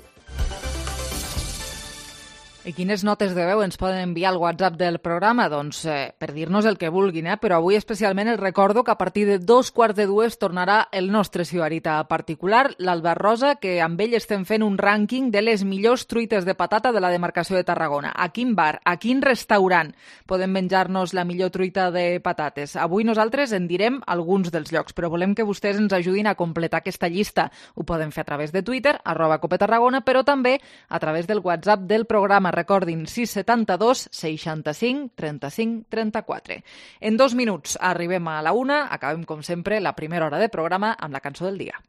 I quines notes de veu ens poden enviar al WhatsApp del programa? Doncs eh, per dir-nos el que vulguin, eh? Però avui especialment els recordo que a partir de dos quarts de dues tornarà el nostre sibarita particular, l'Albert Rosa, que amb ell estem fent un rànquing de les millors truites de patata de la demarcació de Tarragona. A quin bar, a quin restaurant podem menjar-nos la millor truita de patates? Avui nosaltres en direm alguns dels llocs, però volem que vostès ens ajudin a completar aquesta llista. Ho poden fer a través de Twitter, arroba Cope Tarragona, però també a través del WhatsApp del programa. Recordin, sis set dos, seixanta-cinc, trenta-cinc, trenta-quatre. En dos minuts arribem a la una, acabem com sempre la primera hora de programa amb la cançó del dia.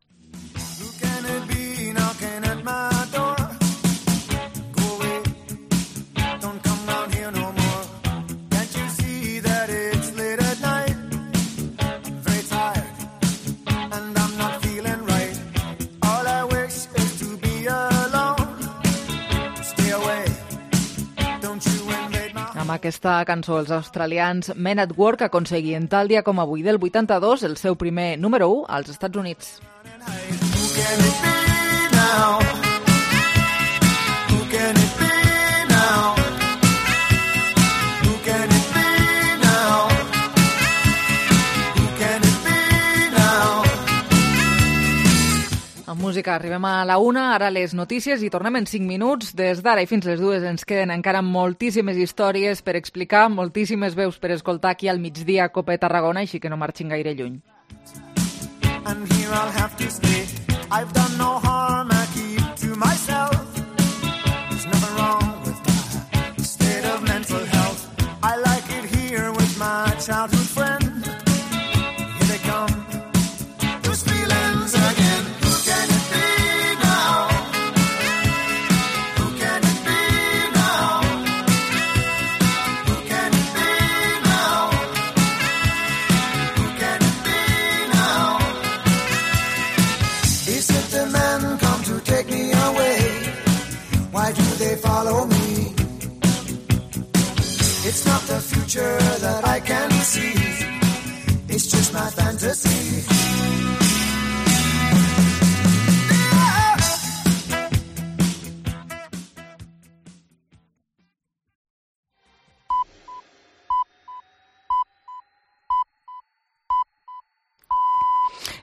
Amb aquesta cançó, els australians Men at Work aconseguien tal dia com avui del vuitanta-dos el seu primer número u als Estats Units. Amb música arribem a la una, ara les notícies i tornem en cinc minuts. Des d'ara i fins les dues ens queden encara moltíssimes històries per explicar, moltíssimes veus per escoltar aquí al migdia a Cope Tarragona, així que no marxin gaire lluny. And here I'll have to stay. I've done no harm, I keep to myself. There's nothing wrong with my state of mental health. I like it here with my childhood friend. Here they come, those feelings again. Follow me. It's not the future that I can see. It's just my fantasy.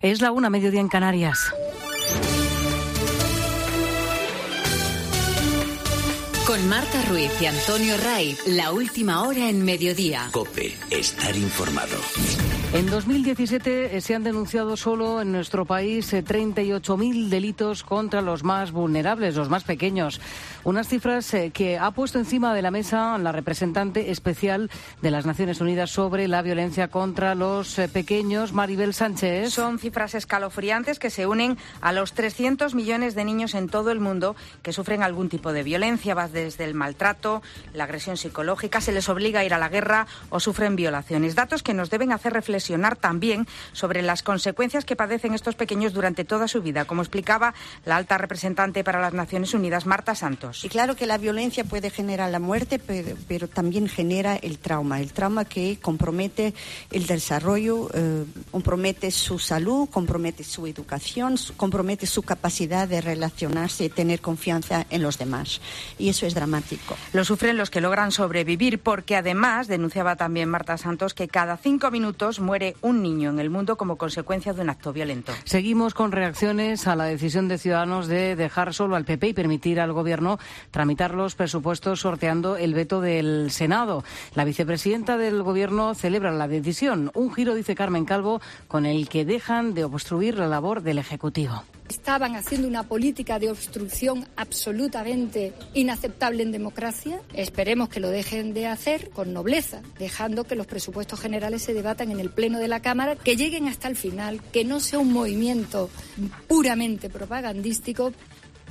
Es la una, mediodía en Canarias. Con Marta Ruiz y Antonio Raiz, la última hora en mediodía. COPE, estar informado. En dos mil diecisiete se han denunciado solo en nuestro país treinta y ocho mil delitos contra los más vulnerables, los más pequeños. Unas cifras que ha puesto encima de la mesa la representante especial de las Naciones Unidas sobre la violencia contra los pequeños, Maribel Sánchez. Son cifras escalofriantes que se unen a los trescientos millones de niños en todo el mundo que sufren algún tipo de violencia. Va desde el maltrato, la agresión psicológica, se les obliga a ir a la guerra o sufren violaciones. Datos que nos deben hacer reflexionar también sobre las consecuencias que padecen estos pequeños durante toda su vida, como explicaba la alta representante para las Naciones Unidas, Marta Santos. Y claro que la violencia puede generar la muerte, pero, pero también genera el trauma, el trauma que compromete el desarrollo, eh, compromete su salud, compromete su educación, compromete su capacidad de relacionarse y tener confianza en los demás. Y eso es dramático. Lo sufren los que logran sobrevivir, porque además, denunciaba también Marta Santos, que cada cinco minutos muere un niño en el mundo como consecuencia de un acto violento. Seguimos con reacciones a la decisión de Ciudadanos de dejar solo al P P y permitir al Gobierno tramitar los presupuestos sorteando el veto del Senado. La vicepresidenta del Gobierno celebra la decisión. Un giro, dice Carmen Calvo, con el que dejan de obstruir la labor del Ejecutivo. Estaban haciendo una política de obstrucción absolutamente inaceptable en democracia. Esperemos que lo dejen de hacer con nobleza, dejando que los presupuestos generales se debatan en el Pleno de la Cámara, que lleguen hasta el final, que no sea un movimiento puramente propagandístico.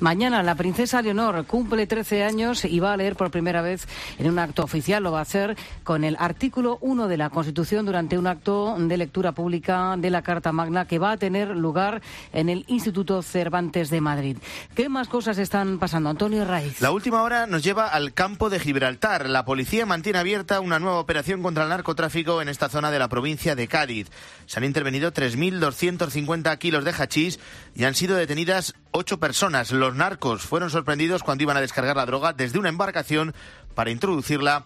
Mañana la princesa Leonor cumple trece años y va a leer por primera vez en un acto oficial. Lo va a hacer con el artículo uno de la Constitución durante un acto de lectura pública de la Carta Magna que va a tener lugar en el Instituto Cervantes de Madrid. ¿Qué más cosas están pasando? Antonio Raiz. La última hora nos lleva al campo de Gibraltar. La policía mantiene abierta una nueva operación contra el narcotráfico en esta zona de la provincia de Cádiz. Se han intervenido tres mil doscientos cincuenta kilos de hachís y han sido detenidas ocho personas. Los narcos fueron sorprendidos cuando iban a descargar la droga desde una embarcación para introducirla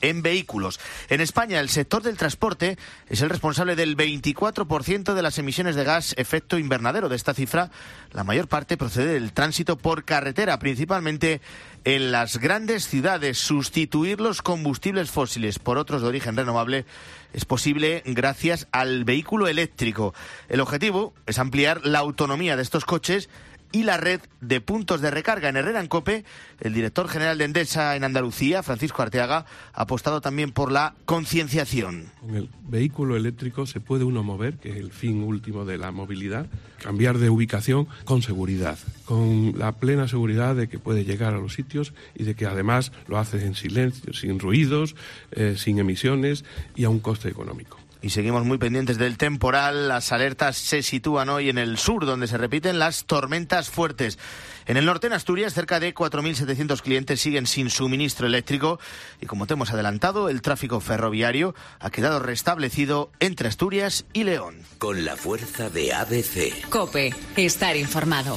en vehículos. En España, el sector del transporte es el responsable del veinticuatro por ciento de las emisiones de gas efecto invernadero. De esta cifra, la mayor parte procede del tránsito por carretera, principalmente en las grandes ciudades. Sustituir los combustibles fósiles por otros de origen renovable es posible gracias al vehículo eléctrico. El objetivo es ampliar la autonomía de estos coches y la red de puntos de recarga. En Herrera en COPE, el director general de Endesa en Andalucía, Francisco Arteaga, ha apostado también por la concienciación. Con el vehículo eléctrico se puede uno mover, que es el fin último de la movilidad, cambiar de ubicación con seguridad, con la plena seguridad de que puede llegar a los sitios y de que además lo hace en silencio, sin ruidos, eh, sin emisiones y a un coste económico. Y seguimos muy pendientes del temporal. Las alertas se sitúan hoy en el sur, donde se repiten las tormentas fuertes. En el norte, en Asturias, cerca de cuatro mil setecientos clientes siguen sin suministro eléctrico. Y como te hemos adelantado, el tráfico ferroviario ha quedado restablecido entre Asturias y León. Con la fuerza de A B C. COPE. Estar informado.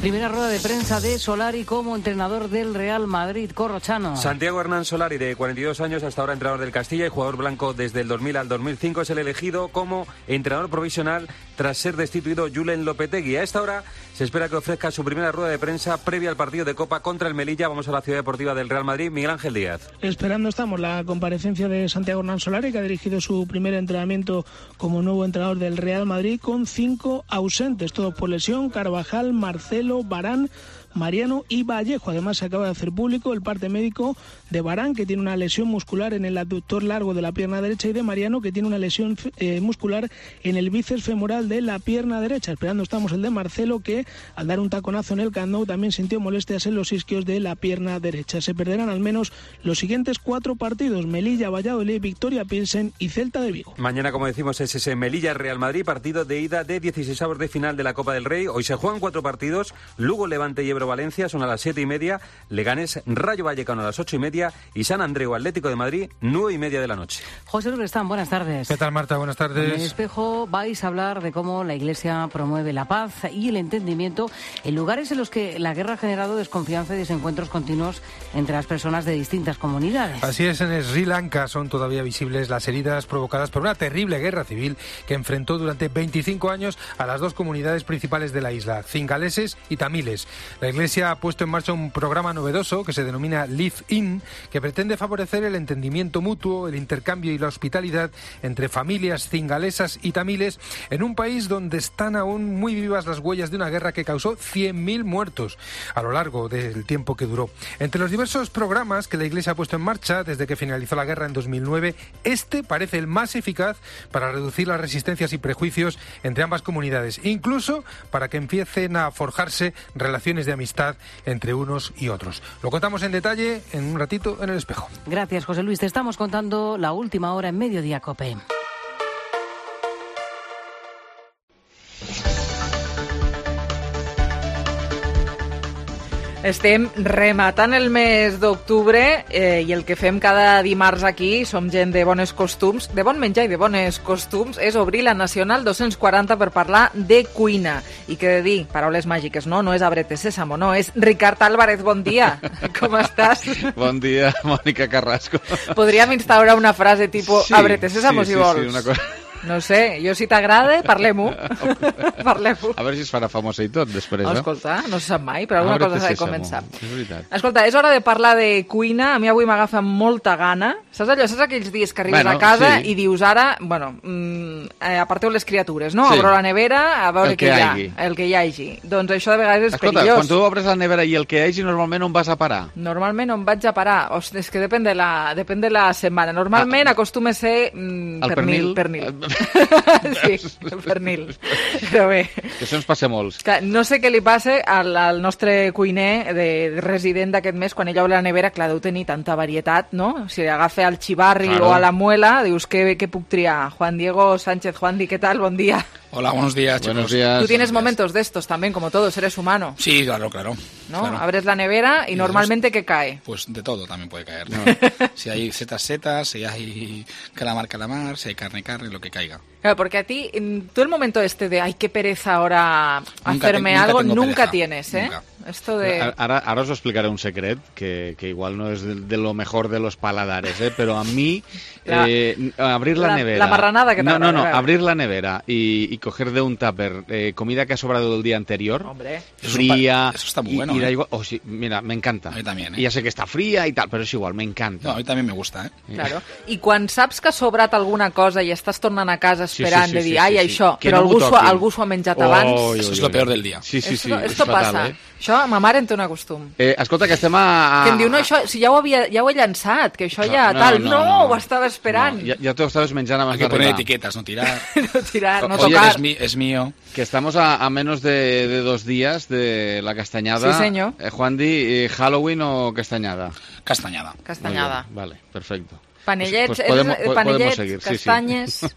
Primera rueda de prensa de Solari como entrenador del Real Madrid. Corrochano. Santiago Hernán Solari, de cuarenta y dos años, hasta ahora entrenador del Castilla y jugador blanco desde el dos mil al dos mil cinco, es el elegido como entrenador provisional tras ser destituido Julen Lopetegui. A esta hora se espera que ofrezca su primera rueda de prensa previa al partido de Copa contra el Melilla. Vamos a la ciudad deportiva del Real Madrid. Miguel Ángel Díaz. Esperando estamos la comparecencia de Santiago Hernán Solari, que ha dirigido su primer entrenamiento como nuevo entrenador del Real Madrid, con cinco ausentes, todos por lesión: Carvajal, Marcelo, Varane, Mariano y Vallejo. Además, se acaba de hacer público el parte médico de Varane, que tiene una lesión muscular en el abductor largo de la pierna derecha, y de Mariano, que tiene una lesión eh, muscular en el bíceps femoral de la pierna derecha. Esperando estamos el de Marcelo, que al dar un taconazo en el Camp Nou también sintió molestias en los isquios de la pierna derecha. Se perderán al menos los siguientes cuatro partidos: Melilla, Valladolid, Victoria Pilsen y Celta de Vigo. Mañana, como decimos, es ese Melilla-Real Madrid, partido de ida de dieciseisavos de final de la Copa del Rey. Hoy se juegan cuatro partidos: Lugo, Levante y Ebro Valencia, son a las siete y media, Leganés, Rayo Vallecano a las ocho y media y San Andreu Atlético de Madrid, nueve y media de la noche. José Lubrestán, buenas tardes. ¿Qué tal, Marta? Buenas tardes. En el Espejo vais a hablar de cómo la Iglesia promueve la paz y el entendimiento en lugares en los que la guerra ha generado desconfianza y desencuentros continuos entre las personas de distintas comunidades. Así es, en Sri Lanka son todavía visibles las heridas provocadas por una terrible guerra civil que enfrentó durante veinticinco años a las dos comunidades principales de la isla, cingaleses y tamiles. La Iglesia ha puesto en marcha un programa novedoso que se denomina Live In, que pretende favorecer el entendimiento mutuo, el intercambio y la hospitalidad entre familias cingalesas y tamiles en un país donde están aún muy vivas las huellas de una guerra que causó cien mil muertos a lo largo del tiempo que duró. Entre los diversos programas que la Iglesia ha puesto en marcha desde que finalizó la guerra en dos mil nueve, este parece el más eficaz para reducir las resistencias y prejuicios entre ambas comunidades, incluso para que empiecen a forjarse relaciones de amistad entre unos y otros. Lo contamos en detalle en un ratito en El Espejo. Gracias, José Luis. Te estamos contando la última hora en Mediodía Cope. Estem rematant el mes d'octubre eh, i el que fem cada dimarts aquí, som gent de bones costums, de bon menjar i de bones costums, és obrir la Nacional dos-cents quaranta per parlar de cuina. I què de dir, paraules màgiques, no? No és Abrete Sésamo, no, és Ricard Álvarez, bon dia. Com estàs? Bon dia, Mònica Carrasco. Podríem instaurar una frase tipus sí, Abrete Sésamo, sí, si sí, vols. Sí, una cosa... No sé, jo si t'agrada, parlem-ho. Parlem-ho. A veure si es farà famosa i tot, després, eh? Escolta, no se sap mai, però alguna cosa s'ha de començar. És veritat. Escolta, és hora de parlar de cuina. A mi avui m'agafa molta gana. Saps allò? Saps aquells dies que arribes bueno, a casa sí. i dius ara, bueno, mm, eh, aparteu les criatures, no? Sí. Obro la nevera a veure el que què hi ha. hagi. El que hi hagi. Doncs això de vegades és Escolta, perillós. quan tu obres la nevera i el que hi hagi, normalment on vas a parar? Normalment on vaig a parar? Ostres, és que depèn de la, depèn de la setmana. Normalment ah, acostuma a ser mm, el pernil. pernil. pernil. Sí, el pernil. Però bé. Que això ens passa molts. Clar, no sé què li passa al, al nostre cuiner de, de resident d'aquest mes, quan ell obre la nevera, clar, deu tenir tanta varietat, no? Si agafa el chivarri claro. o a la muela, dius, què, què puc triar? Juan Diego Sánchez, Juandi, ¿qué tal? Bon día. Hola, buenos días, chicos. Buenos días. Tú tienes momentos de estos también, como todos, eres humano. Sí, claro, claro. ¿No? Claro. Abres la nevera y, y normalmente, ¿qué cae? Pues de todo también puede caer. ¿No? Si hay setas, setas, si hay calamar, calamar, si hay carne, carne, lo que caiga. Claro, porque a ti, tú el momento este de, ay, qué pereza ahora nunca hacerme te, nunca algo, nunca pereza. tienes, ¿eh? Nunca. Esto de... Ara, ara us explicaré un secret que, que igual no es de, de lo mejor de los paladares, ¿eh? Pero a mí la, eh, abrir la, la nevera... La marranada que te No, no, no, abrir la nevera y, y coger de un tupper eh, comida que ha sobrado del día anterior, Hombre. fría... Eso, eso está muy bueno, y, y da ¿eh? igual, oh, sí, mira, me encanta. A mí también, ¿eh? Y ya sé que está fría y tal, pero es igual, me encanta. No, a mí también me gusta, ¿eh? Claro. I quan saps que ha sobrat alguna cosa i estàs tornant a casa esperant sí, sí, sí, de dir, sí, ai, sí, això, sí. però no algú, s'ho, algú s'ho ha menjat oh, abans. Oh, Eso es lo peor del día. Sí, sí, sí. Esto, esto fatal, passa. Eh? Això, ma mare en té un acostum. Eh, escolta, que estem a... Que em diu, no, això, si ja ho, havia, ja ho he llançat, que això no, ja no, tal. No, no, no, ho estava esperant. No, ja, ja t'ho estaves menjant abans d'arribar. Hay que poner d'arribar. etiquetas, no tirar. no tirar, no Oye, tocar. Es, mi, es mío. Que estamos a, a menos de, de dos días de la castañada. Sí, señor. Eh, Juan Di, eh, ¿Halloween o castañada? Castañada. Castañada. Vale, perfecto. Panellets, pues, pues podemos, eh, panellets, seguir. castanyes... Sí, sí.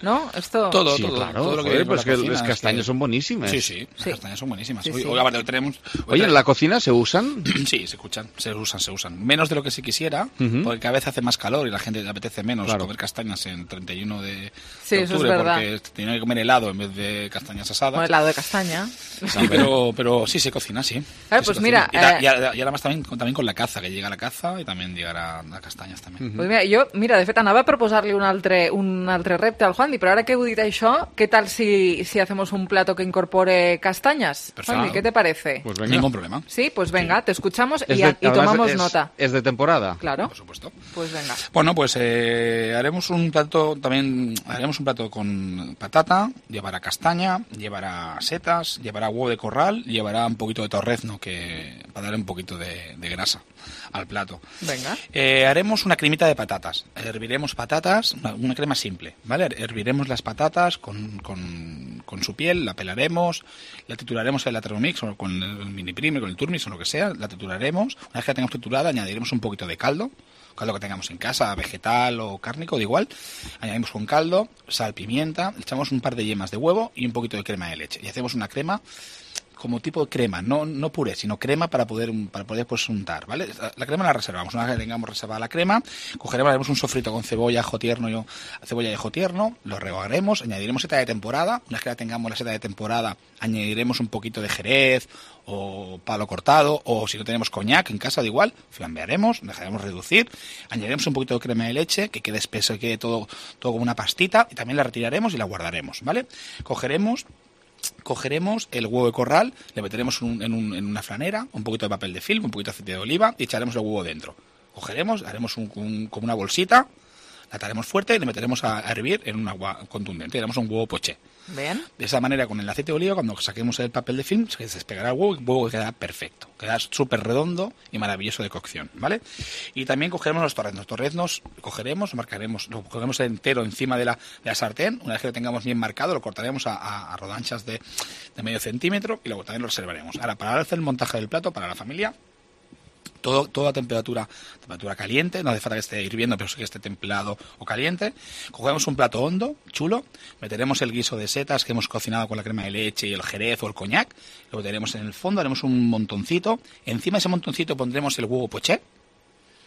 ¿No? Esto... Todo, sí, todo, claro. todo lo que Joder, hay pues la que cocina, las castañas es que... son buenísimas. Sí, sí, las sí. castañas son buenísimas. Sí, hoy, sí. hoy, hoy tenemos... Hoy Oye, ¿en la cocina se usan? Sí, se escuchan, se usan, se usan. Menos de lo que se quisiera, uh-huh. porque cada vez hace más calor y la gente le apetece menos claro. comer castañas en treinta y uno de, sí, de octubre, eso es verdad. porque tiene que comer helado en vez de castañas asadas. Bueno, helado de castaña. Sí, pero, pero sí se cocina, sí. Claro, sí pues cocina. mira... Y, ta, eh... y, ahora, y ahora más también, también con la caza, que llega la caza y también llegarà a castañas també. Uh-huh. Pues mira, jo, mira, de fet, anava a proposar-li un altre, un altre repte al Juandi, però ara que heu dit això, ¿qué tal si, si hacemos un plato que incorpore castañas? Juandi, ¿qué te parece? Pues venga. Ningún problema. Sí, pues venga, sí. Te escuchamos y, de, a, y tomamos es, nota. Es de temporada. Claro. Por supuesto. Pues venga. Bueno, pues eh, haremos un plato también, haremos un plato con patata, llevará castaña, llevará setas, llevará huevo de corral, llevará un poquito de torrezno que para darle un poquito de, de grasa al plato. Venga. Eh, haremos una cremita de patatas. Herviremos patatas, una, una crema simple, ¿vale? Herviremos las patatas con, con, con su piel, la pelaremos, la trituraremos en la Thermomix o con el mini primer, con el turmix o lo que sea, la trituraremos. Una vez que la tengamos triturada, añadiremos un poquito de caldo, caldo que tengamos en casa, vegetal o cárnico, da igual. Añadimos con caldo, sal, pimienta, echamos un par de yemas de huevo y un poquito de crema de leche. Y hacemos una crema como tipo de crema, no, no puré, sino crema para poder para poder pues untar, ¿vale? La crema la reservamos, una vez que tengamos reservada la crema, cogeremos, haremos un sofrito con cebolla, ajo tierno, yo, cebolla y ajo tierno, lo rehogaremos, añadiremos seta de temporada, una vez que ya tengamos la seta de temporada, añadiremos un poquito de jerez o palo cortado, o si no tenemos coñac en casa, da igual, flambearemos, dejaremos reducir, añadiremos un poquito de crema de leche, que quede espeso, que quede todo, todo como una pastita, y también la retiraremos y la guardaremos, ¿vale? Cogeremos cogeremos el huevo de corral, le meteremos un, en, un, en una franera, un poquito de papel de film, un poquito de aceite de oliva y echaremos el huevo dentro. Cogeremos, haremos un, un, como una bolsita, la ataremos fuerte y le meteremos a, a hervir en un agua contundente y haremos un huevo poché. Bien. De esa manera, con el aceite de oliva, cuando saquemos el papel de film, se despegará el huevo y el huevo quedará perfecto. Quedará súper redondo y maravilloso de cocción, ¿vale? Y también cogeremos los torreznos. Los torreznos cogeremos, marcaremos, lo cogeremos entero encima de la, de la sartén. Una vez que lo tengamos bien marcado, lo cortaremos a, a, a rodanchas de, de medio centímetro y luego también lo reservaremos. Ahora, para hacer el montaje del plato, para la familia, Todo, todo a temperatura, temperatura caliente, no hace falta que esté hirviendo, pero sí que esté templado o caliente. Cogemos un plato hondo, chulo, meteremos el guiso de setas que hemos cocinado con la crema de leche y el jerez o el coñac, lo meteremos en el fondo, haremos un montoncito, encima de ese montoncito pondremos el huevo poché,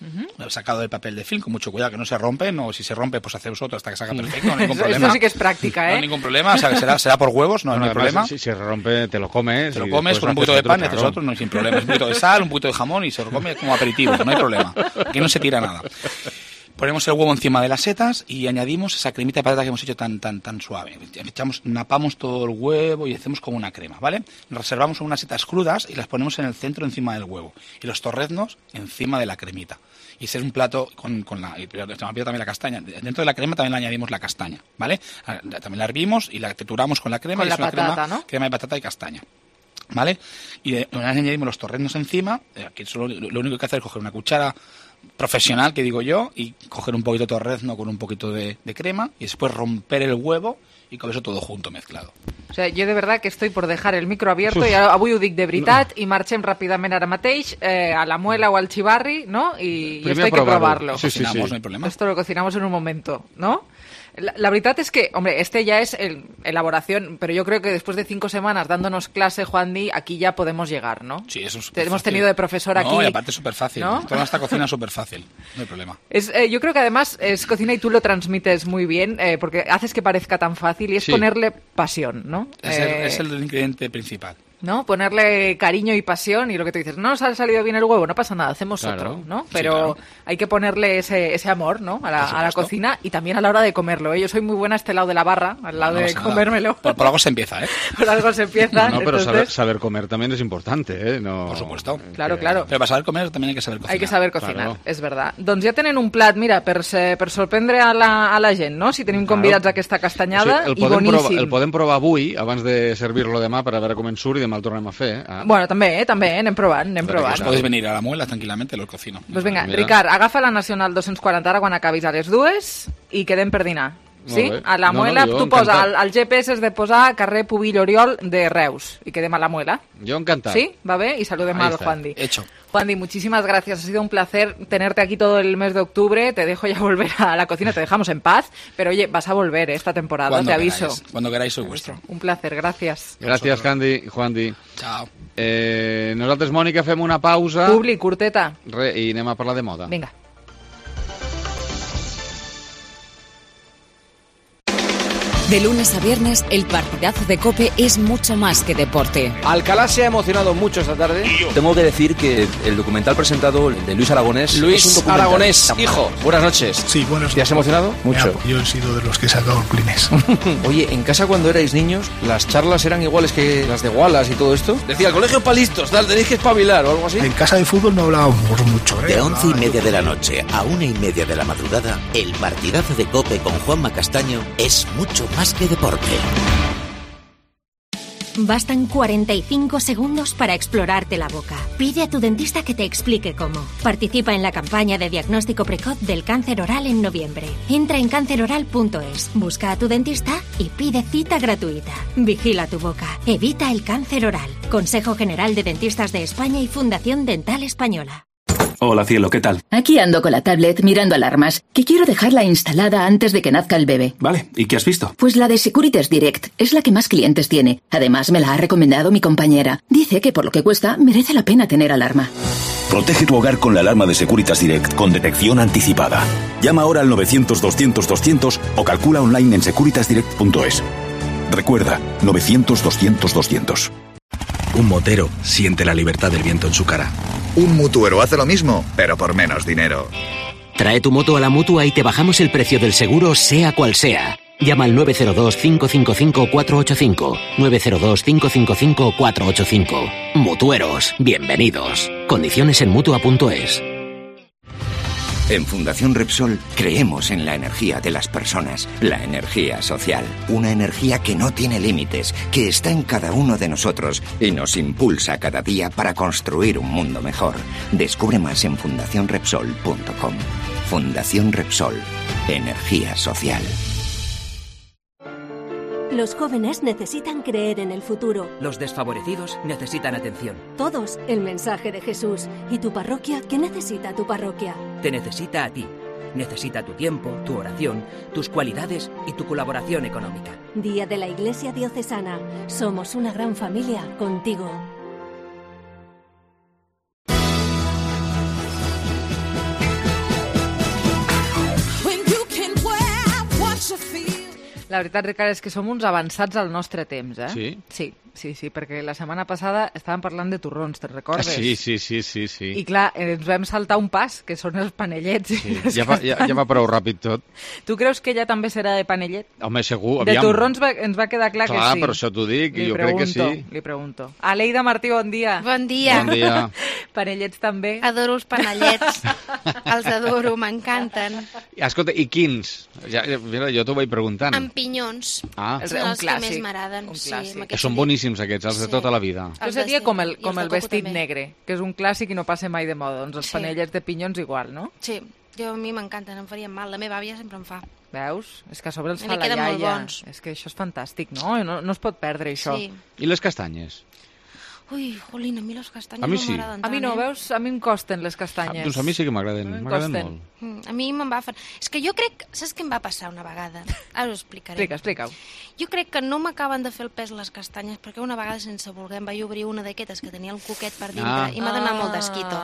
uh-huh. sacado del papel de film, con mucho cuidado que no se rompe, no, si se rompe pues hacemos otro hasta que salga perfecto, no hay ningún problema. Esto sí que es práctica, ¿eh? No hay ningún problema, o sea, que será, será por huevos, no, bueno, no hay además, problema. Si se rompe, te lo comes. Te lo comes con un poquito de pan, haces otro, no hay sin problema. Un poquito de sal, un poquito de jamón y se lo come como aperitivo, no hay problema. Aquí no se tira nada. Ponemos el huevo encima de las setas y añadimos esa cremita de patata que hemos hecho tan tan tan suave. Echamos, napamos todo el huevo y hacemos como una crema, ¿vale? Reservamos unas setas crudas y las ponemos en el centro encima del huevo. Y los torreznos encima de la cremita. Y ese es un plato con, con la... Y también la castaña. Dentro de la crema también le añadimos la castaña, ¿vale? También la hervimos y la trituramos con la crema. Con y la es una patata, crema, ¿no? Crema de patata y castaña. ¿Vale? Y de, una vez añadimos los torreznos encima, aquí solo, lo único que hacer es coger una cuchara profesional, que digo yo, y coger un poquito de torrezno con un poquito de, de crema y después romper el huevo y con eso todo junto mezclado. O sea, jo de verdad que estoy por dejar el micro abierto i avui ho dic de veritat i marxem ràpidament ara mateix eh, a la Muela o al Chivarri, ¿no? Y, y esto hay que probarlo. Sí, sí, sí. No hay problema. Esto lo cocinamos en un momento, ¿no? La, la verdad es que, hombre, este ya es el, elaboración, pero yo creo que después de cinco semanas dándonos clase, Juan Di, aquí ya podemos llegar, ¿no? Sí, eso es Te hemos tenido de profesor aquí. No, y aparte es súper fácil. ¿No? Toda esta cocina es súper fácil, no hay problema. Es, eh, yo creo que además es cocina y tú lo transmites muy bien, eh, porque haces que parezca tan fácil y es sí. ponerle pasión, ¿no? Es, eh, el, es el ingrediente principal. ¿No? Ponerle cariño y pasión y lo que te dices, no nos ha salido bien el huevo, no pasa nada, hacemos claro. otro, ¿no? Pero sí, claro. hay que ponerle ese, ese amor, ¿no? A la, a la cocina y también a la hora de comerlo, ¿eh? Yo soy muy buena a este lado de la barra, al lado no, de comérmelo. Por, por algo se empieza, ¿eh? Por algo se empieza. No, no pero entonces... saber, saber comer también es importante, ¿eh? No... Por supuesto. Claro, claro. Pero para saber comer también hay que saber cocinar. Hay que saber cocinar, claro. És verdad. Doncs ja tenen un plat, mira, per, per sorprendre a la, a la gent, no? Si tenim convidats claro. a aquesta castanyada, o sigui, i boníssim. Provar, el podem provar avui, abans de servir-lo demà, per a veure com ens surt i demà el tornem a fer, eh? Bueno, també, eh, també, eh, anem provant, anem provant. Pues podéis venir a la Muela tranquil·lament, lo cocino. Pues vinga, Mira. Ricard, agafa la Nacional dos-cents quaranta ara quan acabis a les dues i quedem per dinar. Sí? A la Muela, no, no, tu posa, el, el G P S és de posar carrer Pubill Oriol de Reus i quedem a la Muela. Yo encantado. ¿Sí? ¿Va bé? Y saludem al Juan Di. Hecho. Juan Di, muchísimas gracias. Ha sido un placer tenerte aquí todo el mes de octubre. Te dejo ya volver a la cocina, te dejamos en paz. Pero oye, vas a volver esta temporada, cuando te queráis, aviso. Cuando queráis soy vuestro. Un placer, gracias. Gràcies, Candy, Juan Di. Chao. Eh, nosaltres, Mònica, fem una pausa. Publi, curteta. Re, i anem a parlar de moda. Vinga. De lunes a viernes, el partidazo de COPE es mucho más que deporte. Alcalá se ha emocionado mucho esta tarde. Tengo que decir que el documental presentado de Luis Aragonés... Luis es un Aragonés, hijo, buenas noches. Sí, buenos ¿Te has emocionado? Mucho. Ya, yo he sido de los que he sacado el Kleenex. Oye, en casa cuando erais niños, ¿las charlas eran iguales que las de Wallace y todo esto? Decía, el colegio para listos, tal, tenéis que espabilar o algo así. En casa de fútbol no hablábamos mucho, ¿eh? De once y media de la noche a una y media de la madrugada, el partidazo de COPE con Juanma Castaño es mucho más que deporte. Bastan cuarenta y cinco segundos para explorarte la boca. Pide a tu dentista que te explique cómo. Participa en la campaña de diagnóstico precoz del cáncer oral en noviembre. Entra en cáncer oral punto es, busca a tu dentista y pide cita gratuita. Vigila tu boca. Evita el cáncer oral. Consejo General de Dentistas de España y Fundación Dental Española. Hola, cielo, ¿qué tal? Aquí ando con la tablet mirando alarmas, que quiero dejarla instalada antes de que nazca el bebé. Vale, ¿y qué has visto? Pues la de Securitas Direct, es la que más clientes tiene. Además, me la ha recomendado mi compañera. Dice que por lo que cuesta, merece la pena tener alarma. Protege tu hogar con la alarma de Securitas Direct con detección anticipada. Llama ahora al novecientos doscientos doscientos o calcula online en securitas direct punto es. Recuerda, novecientos doscientos doscientos. Un motero siente la libertad del viento en su cara. Un mutuero hace lo mismo, pero por menos dinero. Trae tu moto a la Mutua y te bajamos el precio del seguro, sea cual sea. Llama al nueve cero dos, cinco cinco cinco, cuatro ocho cinco. nueve cero dos, cinco cinco cinco, cuatro ocho cinco. Mutueros, bienvenidos. Condiciones en mutua punto es. En Fundación Repsol creemos en la energía de las personas, la energía social, una energía que no tiene límites, que está en cada uno de nosotros y nos impulsa cada día para construir un mundo mejor. Descubre más en fundación repsol punto com. Fundación Repsol, energía social. Los jóvenes necesitan creer en el futuro. Los desfavorecidos necesitan atención. Todos el mensaje de Jesús. ¿Y tu parroquia? ¿Qué necesita tu parroquia? Te necesita a ti. Necesita tu tiempo, tu oración, tus cualidades y tu colaboración económica. Día de la Iglesia Diocesana. Somos una gran familia contigo. La veritat, Ricard, és que som uns avançats al nostre temps, eh? Sí? Sí, sí, sí, perquè la setmana passada estàvem parlant de torrons, te'n recordes? Sí, sí, sí, sí, sí. I clar, ens vam saltar un pas, que són els panellets. Sí, ja, va, ja, ja va prou ràpid tot. Tu creus que ella també serà de panellet? Home, segur, De aviam. torrons va, ens va quedar clar, Clar, que sí. per això t'ho dic, li jo pregunto, crec que sí. Li pregunto. Aleida Martí, bon dia. Bon dia. Bon dia. Panellets també. Adoro els panellets. Els adoro, m'encanten. Escolta, i quins? Ja, mira, jo t'ho vaig preguntant. Amb pinyons. Ah. Són els que més m'agraden. Sí, Que són boníssims aquests, els de tota la vida. Això seria com el, I com els el de coco vestit també. negre, que és un clàssic i no passa mai de moda. Doncs els Sí. panellets de pinyons igual, no? Sí, jo a mi m'encanten, em farien mal. La meva àvia sempre em fa. Veus? És que a sobre els Li fa la queden molt iaia. bons. És que això és fantàstic, no? No, no es pot perdre, això. Sí. I les castanyes? Ui, jolín, a mi les castanyes A mi no sí. m'agraden tant. A mi no, eh? veus? A mi em costen les castanyes. Doncs a mi sí que m'agraden, A mi em m'agraden costen. molt. Mm, A mi me'n va fer... És que jo crec... Saps què em va passar una vegada? Ara ho explicaré. Explica, explica-ho. Jo crec que no m'acaben de fer el pes les castanyes perquè una vegada sense voler em vaig obrir una d'aquestes que tenia el coquet per dintre Ah. i m'ha donat Ah. molt d'esquito.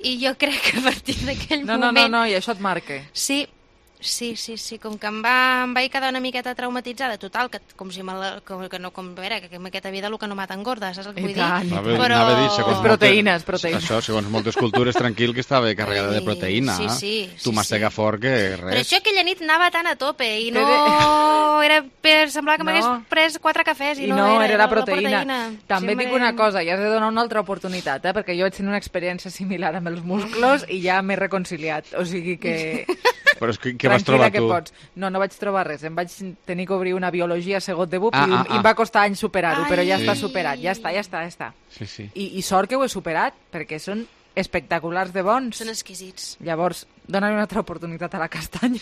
I jo crec que a partir d'aquell No, no, moment... no, no, i això et marca. Sí, sí, sí, sí, com que em, va, em vaig quedar una miqueta traumatitzada, total, que com si me la, com, que no, com, a veure, que en aquesta vida el que no mata engorda, saps el que I vull tant, dir? i Anava, Però... anava a dir, segons És proteïnes, moltes- proteïnes. Això, segons moltes cultures, tranquil, que estava carregada de proteïna. sí, sí, Tu sí, mastega fort que Però res. això aquella nit anava tan a tope i Té no... Era per... Semblava que No. m'hagués pres quatre cafès i, I no, era, la la proteïna. També Sí, dic m'he- una cosa, ja has de donar una altra oportunitat, eh? perquè jo vaig tenir una experiència similar amb els musclos i ja m'he reconciliat. O sigui que... Però és que, què vas Tranquil·la trobar que tu? pots. No, no vaig trobar res. Em vaig tenir que obrir una biologia segon de BUP Ah, i, ah, i em ah. va costar anys superar-ho, però ja Sí. està superat, ja està, ja està, ja està. Sí, sí. I, I sort que ho he superat, perquè són espectaculars de bons. Són exquisits. Llavors, dona-li una altra oportunitat a la castanya.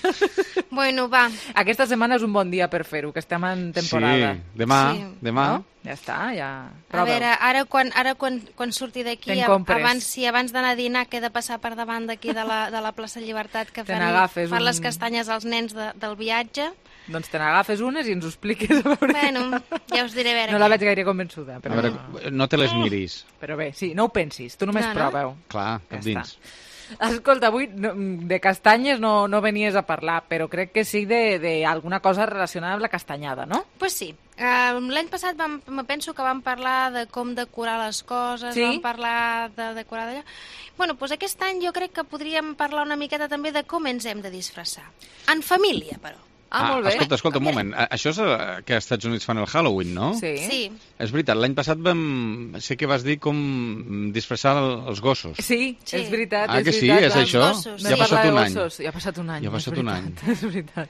Bueno, va. Aquesta setmana és un bon dia per fer-ho, que estem en temporada. Sí, demà, Sí. demà. No? Ja està, ja... A Prova-ho. veure, ara quan, ara quan, quan surti d'aquí, Te'n ab- compres. abans, sí, abans d'anar a dinar, que he de passar per davant d'aquí de, la, de la plaça Llibertat, que Te fan, n'agafes fan un- les castanyes als nens de, del viatge. Doncs te n'agafes unes i ens ho expliques. A veure. Bueno, ja us diré a veure No la què. veig gaire convençuda, però... A veure, no te les miris. Però bé, sí, no ho pensis, tu només No, no? prova-ho. Clar, cap dins. Escolta, avui no, de castanyes no, no venies a parlar, però crec que sí d'alguna cosa relacionada amb la castanyada, no? Pues sí. Uh, L'any passat vam, me penso que vam parlar de com decorar les coses, Sí? vam parlar de decorar d'allò. Bueno, doncs aquest any jo crec que podríem parlar una miqueta també de com ens hem de disfressar. En família, però. Ah, molt bé. Escolta, escolta, un moment. A- Això és eh, que als Estats Units fan el Halloween, no? Sí. Sí. És veritat, l'any passat vam... sé que vas dir com disfressar el- els gossos. Sí, Sí. és veritat, Ah, és que sí? veritat. És això? gossos, Ja ha sí. passat un any. Gossos. Ja ha passat un any. Ja ha és passat un any. veritat, És veritat.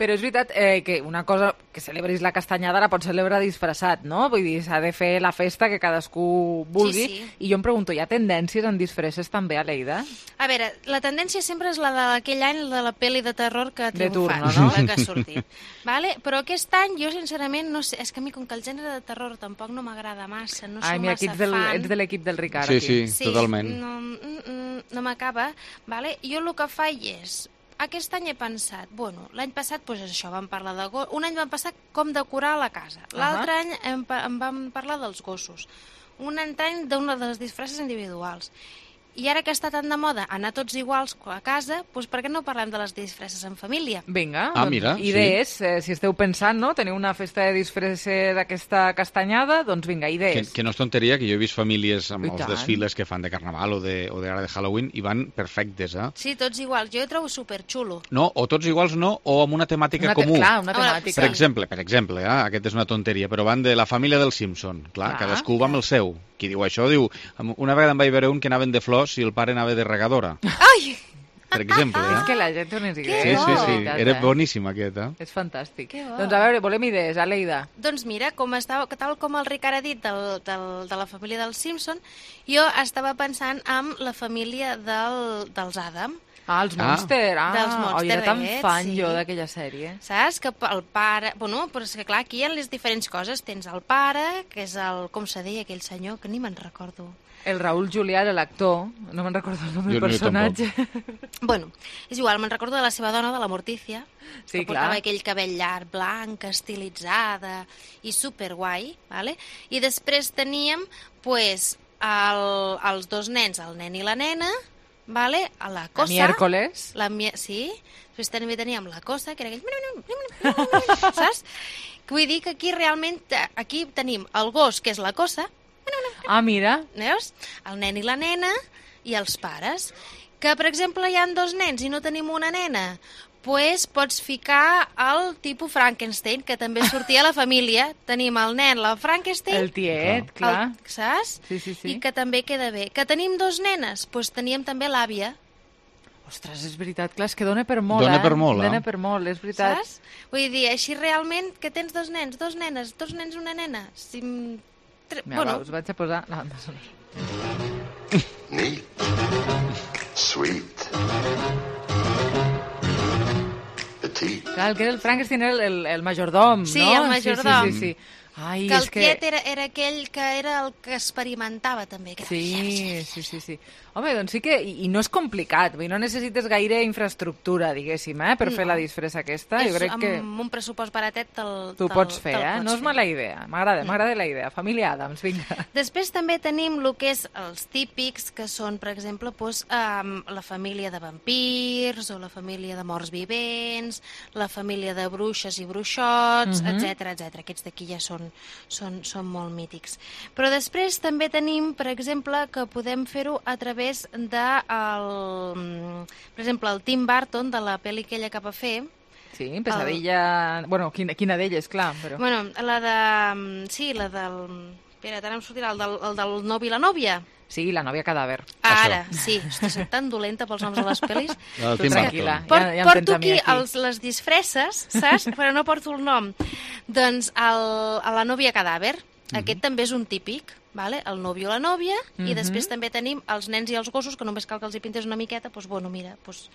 Però és veritat eh, que una cosa que celebris la castanyada la pots celebrar disfressat, no? Vull dir, s'ha de fer la festa que cadascú vulgui. Sí, sí. I jo em pregunto, hi ha tendències en disfresses també a Lleida? A veure, la tendència sempre és la d'aquell any de la pel·li de terror que ha De triomfat, turno, no? la que ha sortit. Vale? Però aquest any jo sincerament no sé, és que a mi com que el gènere de terror tampoc no m'agrada massa, no Ai, soc mira, massa aquí ets, del, fan. ets de l'equip del Ricard. Sí, aquí. sí, totalment. No, mm, mm, no m'acaba, vale? Jo el que faig és, aquest any he pensat, bueno, l'any passat pues, això, vam parlar de gossos, un any vam passar com decorar la casa, l'altre any em, pa- em vam parlar dels gossos, un any d'una de les disfresses individuals. I ara que està tan de moda anar tots iguals a casa, doncs per què no parlem de les disfresses en família? Vinga, ah, doncs, mira, idees. Sí. Eh, si esteu pensant, no?, teniu una festa de disfresses d'aquesta castanyada, doncs vinga, idees. Que, que no és tonteria, que jo he vist famílies amb I els tant. desfiles que fan de Carnaval o de, o de, de Halloween i van perfectes, eh? Sí, tots iguals. Jo ho trobo superxulo. No, o tots iguals no, o amb una temàtica Una te comú. clar, una temàtica. Per exemple, per exemple, eh? Aquest és una tonteria, però van de la família dels Simpson. Clar, Clar. cadascú va amb el seu. Qui diu això diu... Una vegada em vaig veure un que anaven de flors i el pare anava de regadora. Ai! Per exemple, És eh? que la gent té unes Sí, idees. sí, sí. veritat, Era eh? boníssim aquest, eh? És fantàstic. Que bo. Doncs a veure, volem idees, Aleida. Doncs mira, com estava, tal com el Ricard ha dit del, del, de la família dels Simpson, jo estava pensant en la família del, dels Adam. Ah, els Monster. Ah, dels Monster. oh, era tan aquests, fan sí. jo d'aquella sèrie. Saps? Que el pare... Bueno, però és que clar, aquí hi ha les diferents coses. Tens el pare, que és el... Com se deia aquell senyor? Que ni me'n recordo. El Raúl Julià era l'actor, no me'n recordo el nom del Jo no, jo personatge. Bueno, és igual, me'n recordo de la seva dona, de la Mortícia, Sí, que portava clar. aquell cabell llarg, blanc, estilitzada i superguai, vale? I després teníem, pues, el, els dos nens, el nen i la nena, vale? A la cosa... miércoles. La mi... Sí. Després també teníem la cosa, que era aquell... Saps? Vull dir que aquí realment, aquí tenim el gos, que és la cosa, Ah, mira. veus? El nen i la nena i els pares. Que, per exemple, hi han dos nens i no tenim una nena, pues pots ficar el tipus Frankenstein, que també sortia a la família. Tenim el nen, la Frankenstein... El tiet, clar. El, saps? Sí, sí, sí. I que també queda bé. Que tenim dos nenes, pues teníem també l'àvia. Ostres, és veritat, clar, és que dona per molt, Dona eh? per molt, eh? Dona per molt, és veritat. Saps? Vull dir, així realment que tens dos nens, dos nenes, dos nens, una nena. Si... Tre... Mira, bueno, va, us vaig a posar la banda sonora. Neat. Sweet. Petite. Clar, el que era el Frankenstein era el, el, el majordom, Sí, no? el majordom. Sí, sí, sí, sí. Ai, que el és que... tiet era, era aquell que era el que experimentava també. Que Sí, sí, sí, sí. Home, doncs sí que... I, i no és complicat, vull dir, no necessites gaire infraestructura, diguéssim, eh, per No. fer la disfressa aquesta. És Jo crec amb que un pressupost baratet te'l tu te'l- pots fer, te'l eh? pots No és fer. mala idea. M'agrada, m'agrada la idea. Família Adams, vinga. Després també tenim el que és els típics, que són, per exemple, doncs, um, la família de vampirs, o la família de morts vivents, la família de bruixes i bruixots, Mhm. etc etc. Aquests d'aquí ja són, són, són molt mítics. Però després també tenim, per exemple, que podem fer-ho a través de, el, per exemple, el Tim Burton, de la pel·li aquella que va fer. Sí, pesadilla... Bueno, quina, quina d'elles, clar, però... Bueno, la de... Sí, la del... Espera, ara em sortirà el del, el del novi i la nòvia. Sí, la nòvia cadàver. Ara, sí. Hosti, soc tan dolenta pels noms de les pel·lis. El Tu Tim tranquil·la, Burton. Por, ja, ja em tens porto a mi aquí, aquí. els, les disfresses, saps? Però no porto el nom. Doncs el, a la nòvia cadàver. Aquest també és un típic, vale? El nòvio o la nòvia, i Mhm. després també tenim els nens i els gossos, que només cal que els hi pintes una miqueta, doncs bueno, mira, doncs,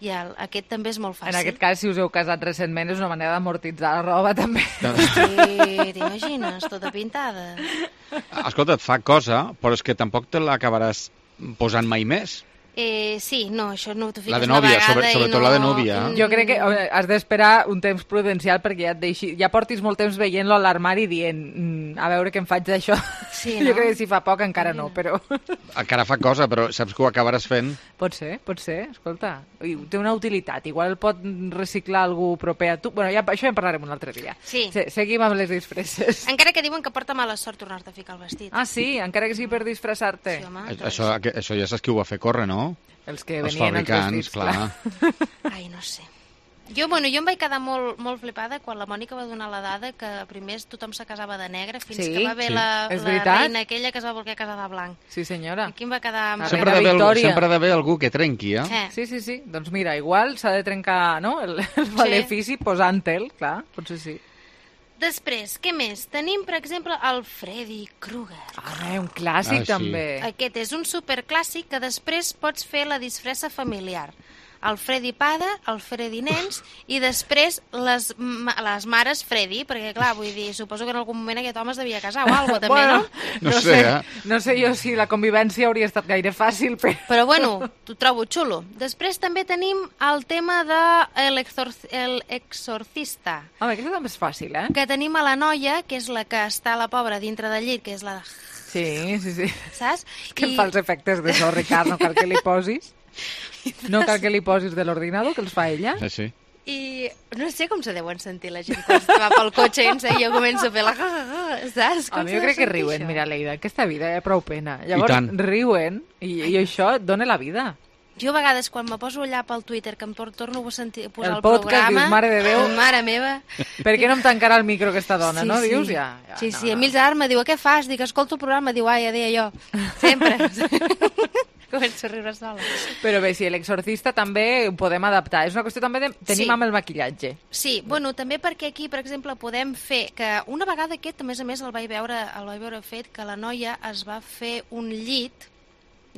ja, el- aquest també és molt fàcil. En aquest cas, si us heu casat recentment, és una manera d'amortitzar la roba, també. Sí, t'imagines, tota pintada. Escolta, et fa cosa, però és que tampoc te l'acabaràs posant mai més. Eh, sí, no, això no t'ho fiques La de una nòvia, vegada sobre- i sobretot no... la de nòvia. Jo crec que home, has d'esperar un temps prudencial perquè ja et deixi, ja portis molt temps veient-lo a l'armari dient mm, a veure què em faig d'això. Sí, Jo no? crec que si fa poc encara no, però... Encara fa cosa, però saps que ho acabaràs fent? Pot ser, pot ser, escolta. I té una utilitat, igual el pot reciclar algú proper a tu. Bueno, ja, això ja en parlarem un altre dia. Sí. Se, seguim amb les disfresses. Encara que diuen que porta mala sort tornar-te a ficar el vestit. Ah, sí? Encara que sigui per disfressar-te. Sí, home, A- Això, aqu- això ja saps qui ho va fer córrer, no? Els que Els venien els fabricants, vestits, clar. Ai, no sé. Jo, bueno, jo em vaig quedar molt, molt flipada quan la Mònica va donar la dada que primer tothom se casava de negre fins Sí, que va haver sí. la, És la veritat? reina aquella que es va voler casar de blanc. Sí, senyora. Aquí em va quedar... La Sempre ha reina d'haver algú, Victòria. sempre ha d'haver algú que trenqui, eh? Eh. Sí, sí, sí. Doncs mira, igual s'ha de trencar no? el, el malefici posant-te'l, clar, potser sí. Després, què més? Tenim, per exemple, el Freddy Krueger. Ah, un clàssic, Ah, sí. també. Aquest és un superclàssic que després pots fer la disfressa familiar. El Freddy Pada, el Freddy Nens i després les, ma les mares Freddy, perquè clar, vull dir, suposo que en algun moment aquest home es devia casar o alguna cosa, també, Bueno, no? No sé, eh? No sé jo si la convivència hauria estat gaire fàcil, però... Però bueno, t'ho trobo xulo. Després també tenim el tema de el, exor el exorcista, Home, aquesta també és fàcil, eh? que tenim a la noia, que és la que està la pobra dintre del llit, que és la Sí, sí, sí. Saps? Que I... em fa els efectes de so, Ricard, no cal que li posis. No cal que li posis de l'ordinador, que els fa ella. Sí, sí. I no sé com se deuen sentir la gent quan va pel cotxe i jo començo a fer la... Saps? A mi jo crec que riuen. Això? Mira, Leida, aquesta vida hi ha prou pena. Llavors riuen i, i això et dona la vida. Jo a vegades quan me poso allà pel Twitter que em torno a sentir, a posar el, el podcast, programa... dius, mare de Déu, mare meva... Per què no em tancarà el micro aquesta dona, sí, no? Sí. Dius, ja... ja sí, no, sí, no. a mi el Gerard me diu, què fas? Dic, escolto el programa, diu, ai, ja deia jo. Sempre. Començo a riure sola. Però bé, sí, l'exorcista també ho podem adaptar. És una qüestió també de... Tenim sí. amb el maquillatge. Sí, bueno, també perquè aquí, per exemple, podem fer que una vegada aquest, a més a més, el vaig veure, el vaig veure fet, que la noia es va fer un llit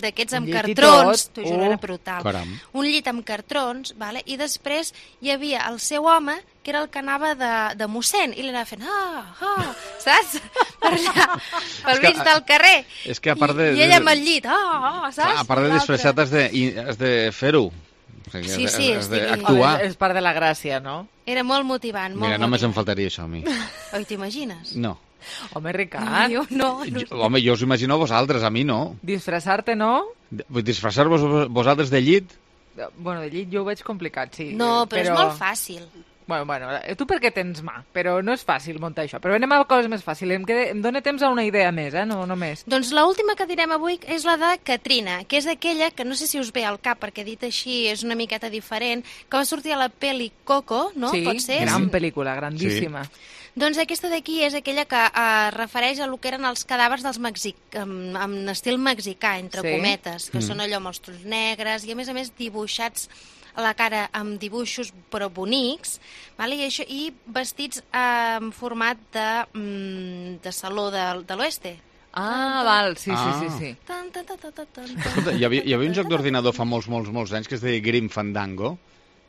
d'aquests amb cartrons, t'ho juro, era brutal. Caram. Un llit amb cartrons, vale? I després hi havia el seu home, que era el que anava de, de mossèn, i li anava fent, ah, ah, saps? Per allà, pel mig del carrer. És que a part de... I, i ella amb el llit, ah, ah, saps? A part de disfressat has de, has de fer-ho. O sigui, sí, sí, has d'actuar. És part de la gràcia, no? Era molt motivant. Molt Mira, motivant. només em faltaria això a mi. Oi, t'imagines? No. Home, Ricard. No, jo no. no. Jo, home, jo us imagino a vosaltres, a mi no. Disfressar-te, no? Disfressar-vos vosaltres de llit? Bueno, de llit jo ho veig complicat, sí. No, però, però... és molt fàcil. Bueno, bueno, tu perquè tens mà, però no és fàcil muntar això. Però anem a coses més fàcils. Em, quede... em dóna temps a una idea més, eh? No, no més. Doncs l'última que direm avui és la de Katrina, que és aquella que no sé si us ve al cap, perquè dit així és una miqueta diferent, que va sortir a la pel·li Coco, no? Sí, pot ser? gran pel·lícula, grandíssima. Sí. Doncs aquesta d'aquí és aquella que eh, refereix a lo que eren els cadàvers dels mexic... en, en estil mexicà, entre sí. cometes, que mm. són allò amb els trons negres i a més a més dibuixats a la cara amb dibuixos però bonics, vale? I, això, i vestits eh, en format de, mm, de saló de, de l'oeste. Ah, val, sí, ah. sí, sí. sí. Tan, tan, tan, tan, tan. Escolta, hi havia, hi havia un joc d'ordinador fa molts, molts, molts anys que es deia Grim Fandango.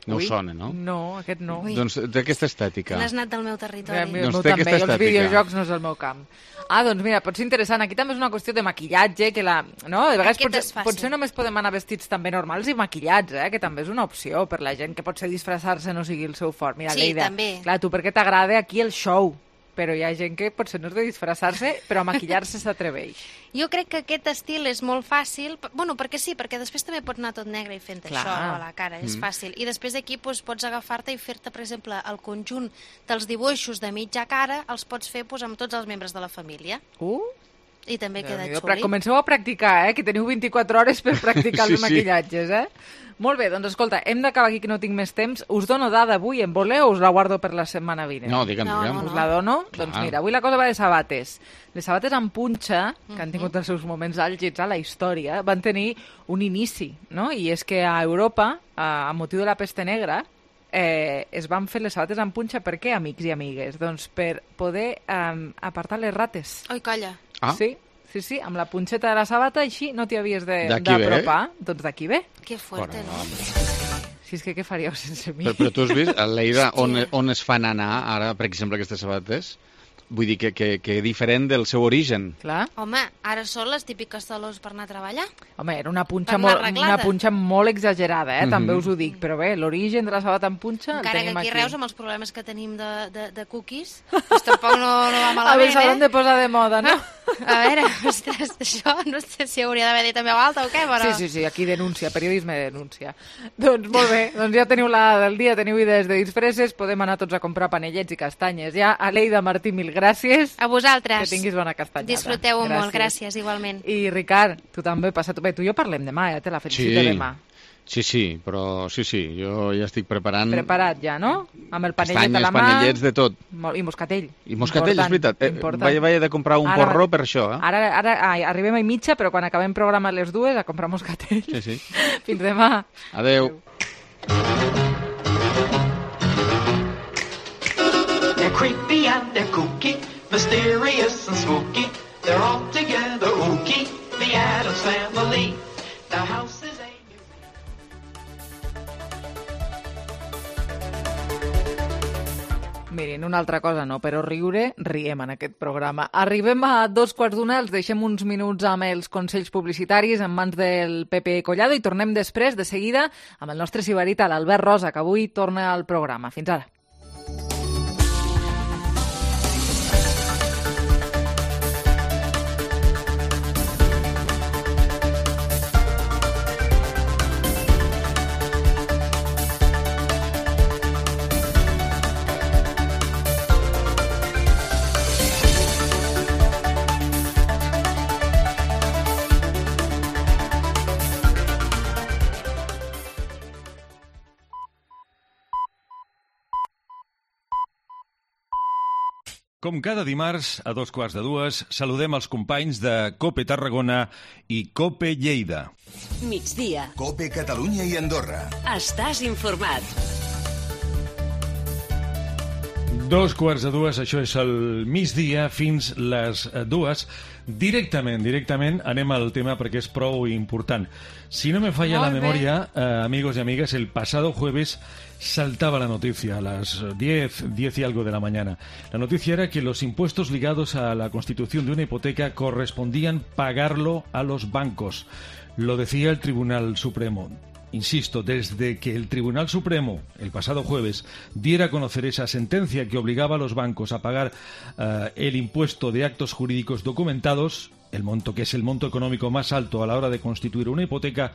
No Ui, us sona, no? No, aquest no. Ui. Doncs té aquesta estètica. N'has anat del meu territori. El meu, doncs meu també, els videojocs no és el meu camp. Ah, doncs mira, pot ser interessant. Aquí també és una qüestió de maquillatge, que la... No? De vegades potser, potser només podem anar vestits també normals i maquillats, eh? Que també és una opció per la gent que potser disfressar-se no sigui el seu fort. Mira, sí, Leida, també. Clar, tu perquè t'agrada aquí el show, però hi ha gent que potser no és de disfressar-se, però a maquillar-se s'atreveix. Jo crec que aquest estil és molt fàcil, bueno, perquè sí, perquè després també pots anar tot negre i fent Clar. Això a la cara, és mm. fàcil. I després d'aquí doncs, pots agafar-te i fer-te, per exemple, el conjunt dels dibuixos de mitja cara, els pots fer doncs, amb tots els membres de la família. Uh! I també Déu queda Déu, xuli. Comenceu a practicar, eh? Que teniu vint-i-quatre hores per practicar sí, els maquillatges, eh? Molt bé, doncs escolta, hem d'acabar aquí que no tinc més temps. Us dono dada avui, en voleu o us la guardo per la setmana vinent? No, digue'm, no, digue'm. No, no. Us la dono? Clar. Doncs mira, avui la cosa va de sabates. Les sabates amb punxa, que han tingut els seus moments àlgids a la història, van tenir un inici, no? I és que a Europa, a motiu de la peste negra, eh, es van fer les sabates amb punxa. Per què, amics i amigues? Doncs per poder eh, apartar les rates. Oi, calla. Ah. Sí. Sí, sí, amb la punxeta de la sabata així no t'hi havies d'apropar. Doncs d'aquí ve. Que fuerte, Bueno, no? Si és que què faríeu sense mi? Però, però tu has vist, Leida, on, on es fan anar ara, per exemple, aquestes sabates? Vull dir que, que, que diferent del seu origen. Clar. Home, ara són les típiques talons per anar a treballar. Home, era una punxa, molt, una punxa molt exagerada, eh? Mm -hmm. També us ho dic. Però bé, l'origen de la sabata amb punxa Encara el tenim que aquí, aquí. Reus, amb els problemes que tenim de, de, de cookies, doncs tampoc no, no va malament, a veure, s'hauran eh? de posar de moda, no? A veure, ostres, això no sé si hauria d'haver dit en veu alta o què, però... Sí, sí, sí, aquí denúncia, periodisme de denúncia. Doncs molt bé, doncs ja teniu la del dia, teniu idees de disfresses, podem anar tots a comprar panellets i castanyes. Ja, Aleida, Martí, mil gràcies. A vosaltres. Que tinguis bona castanyada. Disfruteu-ho molt, gràcies, igualment. I Ricard, tu també, passa bé, tu i jo parlem demà, ja te la felicito sí. demà. Sí, sí, però sí, sí, jo ja estic preparant... Preparat ja, no? Amb el panellet Castanyes, a la mà... panellets, de tot. I moscatell. I moscatell, és veritat. Eh, vaig, vaig de comprar un ara, porró per això, eh? Ara, ara ai, arribem a mitja, però quan acabem programa a les dues a comprar moscatell. Sí, sí. Fins demà. Adeu. They're creepy and they're kooky, mysterious and spooky. They're all together ooky, the Addams Family. The house is a... Mirin, una altra cosa no, però riure, riem en aquest programa. Arribem a dos quarts d'una, els deixem uns minuts amb els consells publicitaris en mans del Pepe Collado i tornem després, de seguida, amb el nostre sibarita, l'Albert Rosa, que avui torna al programa. Fins ara. Com cada dimarts, a dos quarts de dues, saludem els companys de COPE Tarragona i COPE Lleida. Migdia. COPE Catalunya i Andorra. Estàs informat. Dos quarts de dues, això és el migdia, fins les dues. Directament, directament anem al tema perquè és prou important. Si no me falla la memoria, eh, amigos y amigas, el pasado jueves saltaba la noticia a las diez, diez y algo de la mañana. La noticia era que los impuestos ligados a la constitución de una hipoteca correspondían pagarlo a los bancos. Lo decía el Tribunal Supremo. Insisto, desde que el Tribunal Supremo, el pasado jueves, diera a conocer esa sentencia que obligaba a los bancos a pagar uh, el impuesto de actos jurídicos documentados, el monto que es el monto económico más alto a la hora de constituir una hipoteca,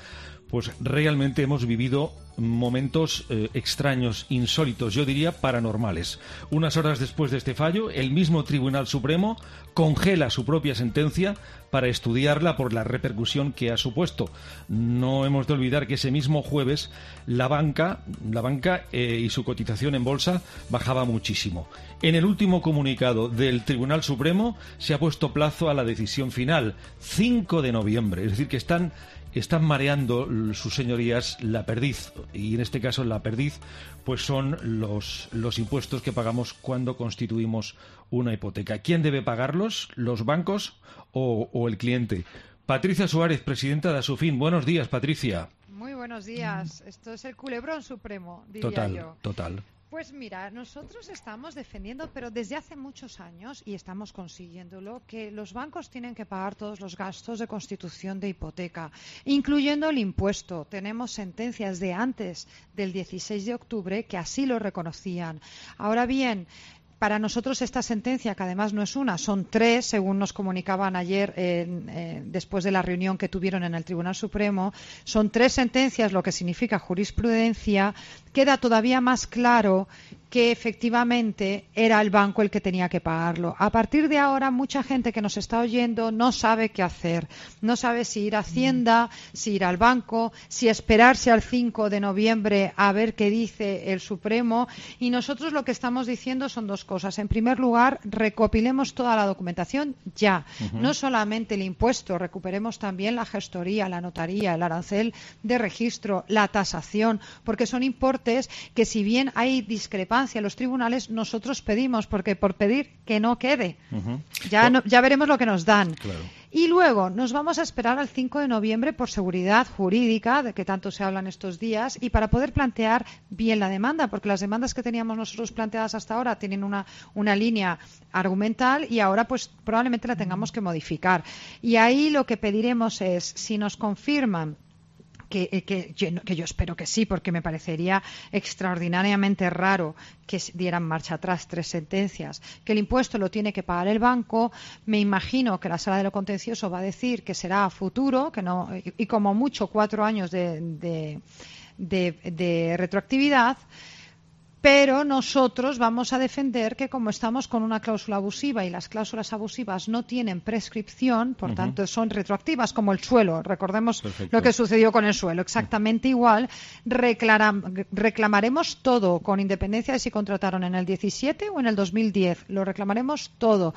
pues realmente hemos vivido momentos eh, extraños, insólitos, yo diría paranormales. Unas horas después de este fallo, el mismo Tribunal Supremo congela su propia sentencia para estudiarla por la repercusión que ha supuesto. No hemos de olvidar que ese mismo jueves la banca, la banca eh, y su cotización en bolsa bajaba muchísimo. En el último comunicado del Tribunal Supremo se ha puesto plazo a la decisión final, cinco de noviembre, es decir que están Están mareando sus señorías la perdiz, y en este caso la perdiz pues son los, los impuestos que pagamos cuando constituimos una hipoteca. ¿Quién debe pagarlos? ¿Los bancos o, o el cliente? Patricia Suárez, presidenta de Asufin. Buenos días, Patricia. Muy buenos días. Esto es el culebrón supremo, diría total, yo. Total. Pues mira, nosotros estamos defendiendo, pero desde hace muchos años, y estamos consiguiéndolo, que los bancos tienen que pagar todos los gastos de constitución de hipoteca, incluyendo el impuesto. Tenemos sentencias de antes del dieciséis de octubre que así lo reconocían. Ahora bien, para nosotros esta sentencia, que además no es una, son tres, según nos comunicaban ayer eh, eh, después de la reunión que tuvieron en el Tribunal Supremo, son tres sentencias, lo que significa jurisprudencia. Queda todavía más claro que efectivamente era el banco el que tenía que pagarlo. A partir de ahora, mucha gente que nos está oyendo no sabe qué hacer. No sabe si ir a Hacienda, si ir al banco, si esperarse al cinco de noviembre a ver qué dice el Supremo. Y nosotros lo que estamos diciendo son dos cosas. En primer lugar, recopilemos toda la documentación ya. Uh-huh. No solamente el impuesto, recuperemos también la gestoría, la notaría, el arancel de registro, la tasación, porque son importes que, si bien hay discrepancias en los tribunales, nosotros pedimos, porque por pedir que no quede. Uh-huh. Ya, no, ya veremos lo que nos dan. Claro. Y luego nos vamos a esperar al cinco de noviembre por seguridad jurídica, de que tanto se habla en estos días, y para poder plantear bien la demanda, porque las demandas que teníamos nosotros planteadas hasta ahora tienen una, una línea argumental y ahora pues probablemente la tengamos que modificar. Y ahí lo que pediremos es, si nos confirman Que, que, que yo espero que sí, porque me parecería extraordinariamente raro que dieran marcha atrás tres sentencias, que el impuesto lo tiene que pagar el banco. Me imagino que la Sala de lo Contencioso va a decir que será a futuro, que no, y, y como mucho cuatro años de, de, de, de retroactividad. Pero nosotros vamos a defender que, como estamos con una cláusula abusiva y las cláusulas abusivas no tienen prescripción, por uh-huh. tanto son retroactivas, como el suelo. Recordemos Perfecto. Lo que sucedió con el suelo, exactamente uh-huh. igual. Reclaram- reclamaremos todo, con independencia de si contrataron en el diecisiete o en el dos mil diez. Lo reclamaremos todo.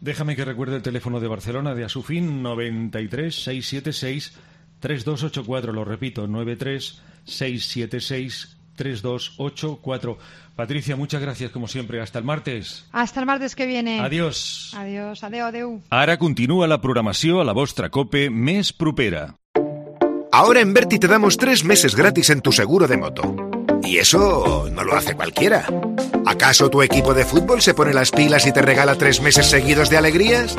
Déjame que recuerde el teléfono de Barcelona, de Asufin, noventa y tres, seiscientos setenta y seis, treinta y dos ochenta y cuatro. Lo repito, noventa y tres, seiscientos setenta y seis, treinta y dos ochenta y cuatro. Patricia, muchas gracias como siempre. Hasta el martes. Hasta el martes que viene. Adiós. Adiós, adeu, adeu. Ara continúa la programació a la vostra COPE més propera. Ahora en Berti te damos tres meses gratis en tu seguro de moto. Y eso no lo hace cualquiera. ¿Acaso tu equipo de fútbol se pone las pilas y te regala tres meses seguidos de alegrías?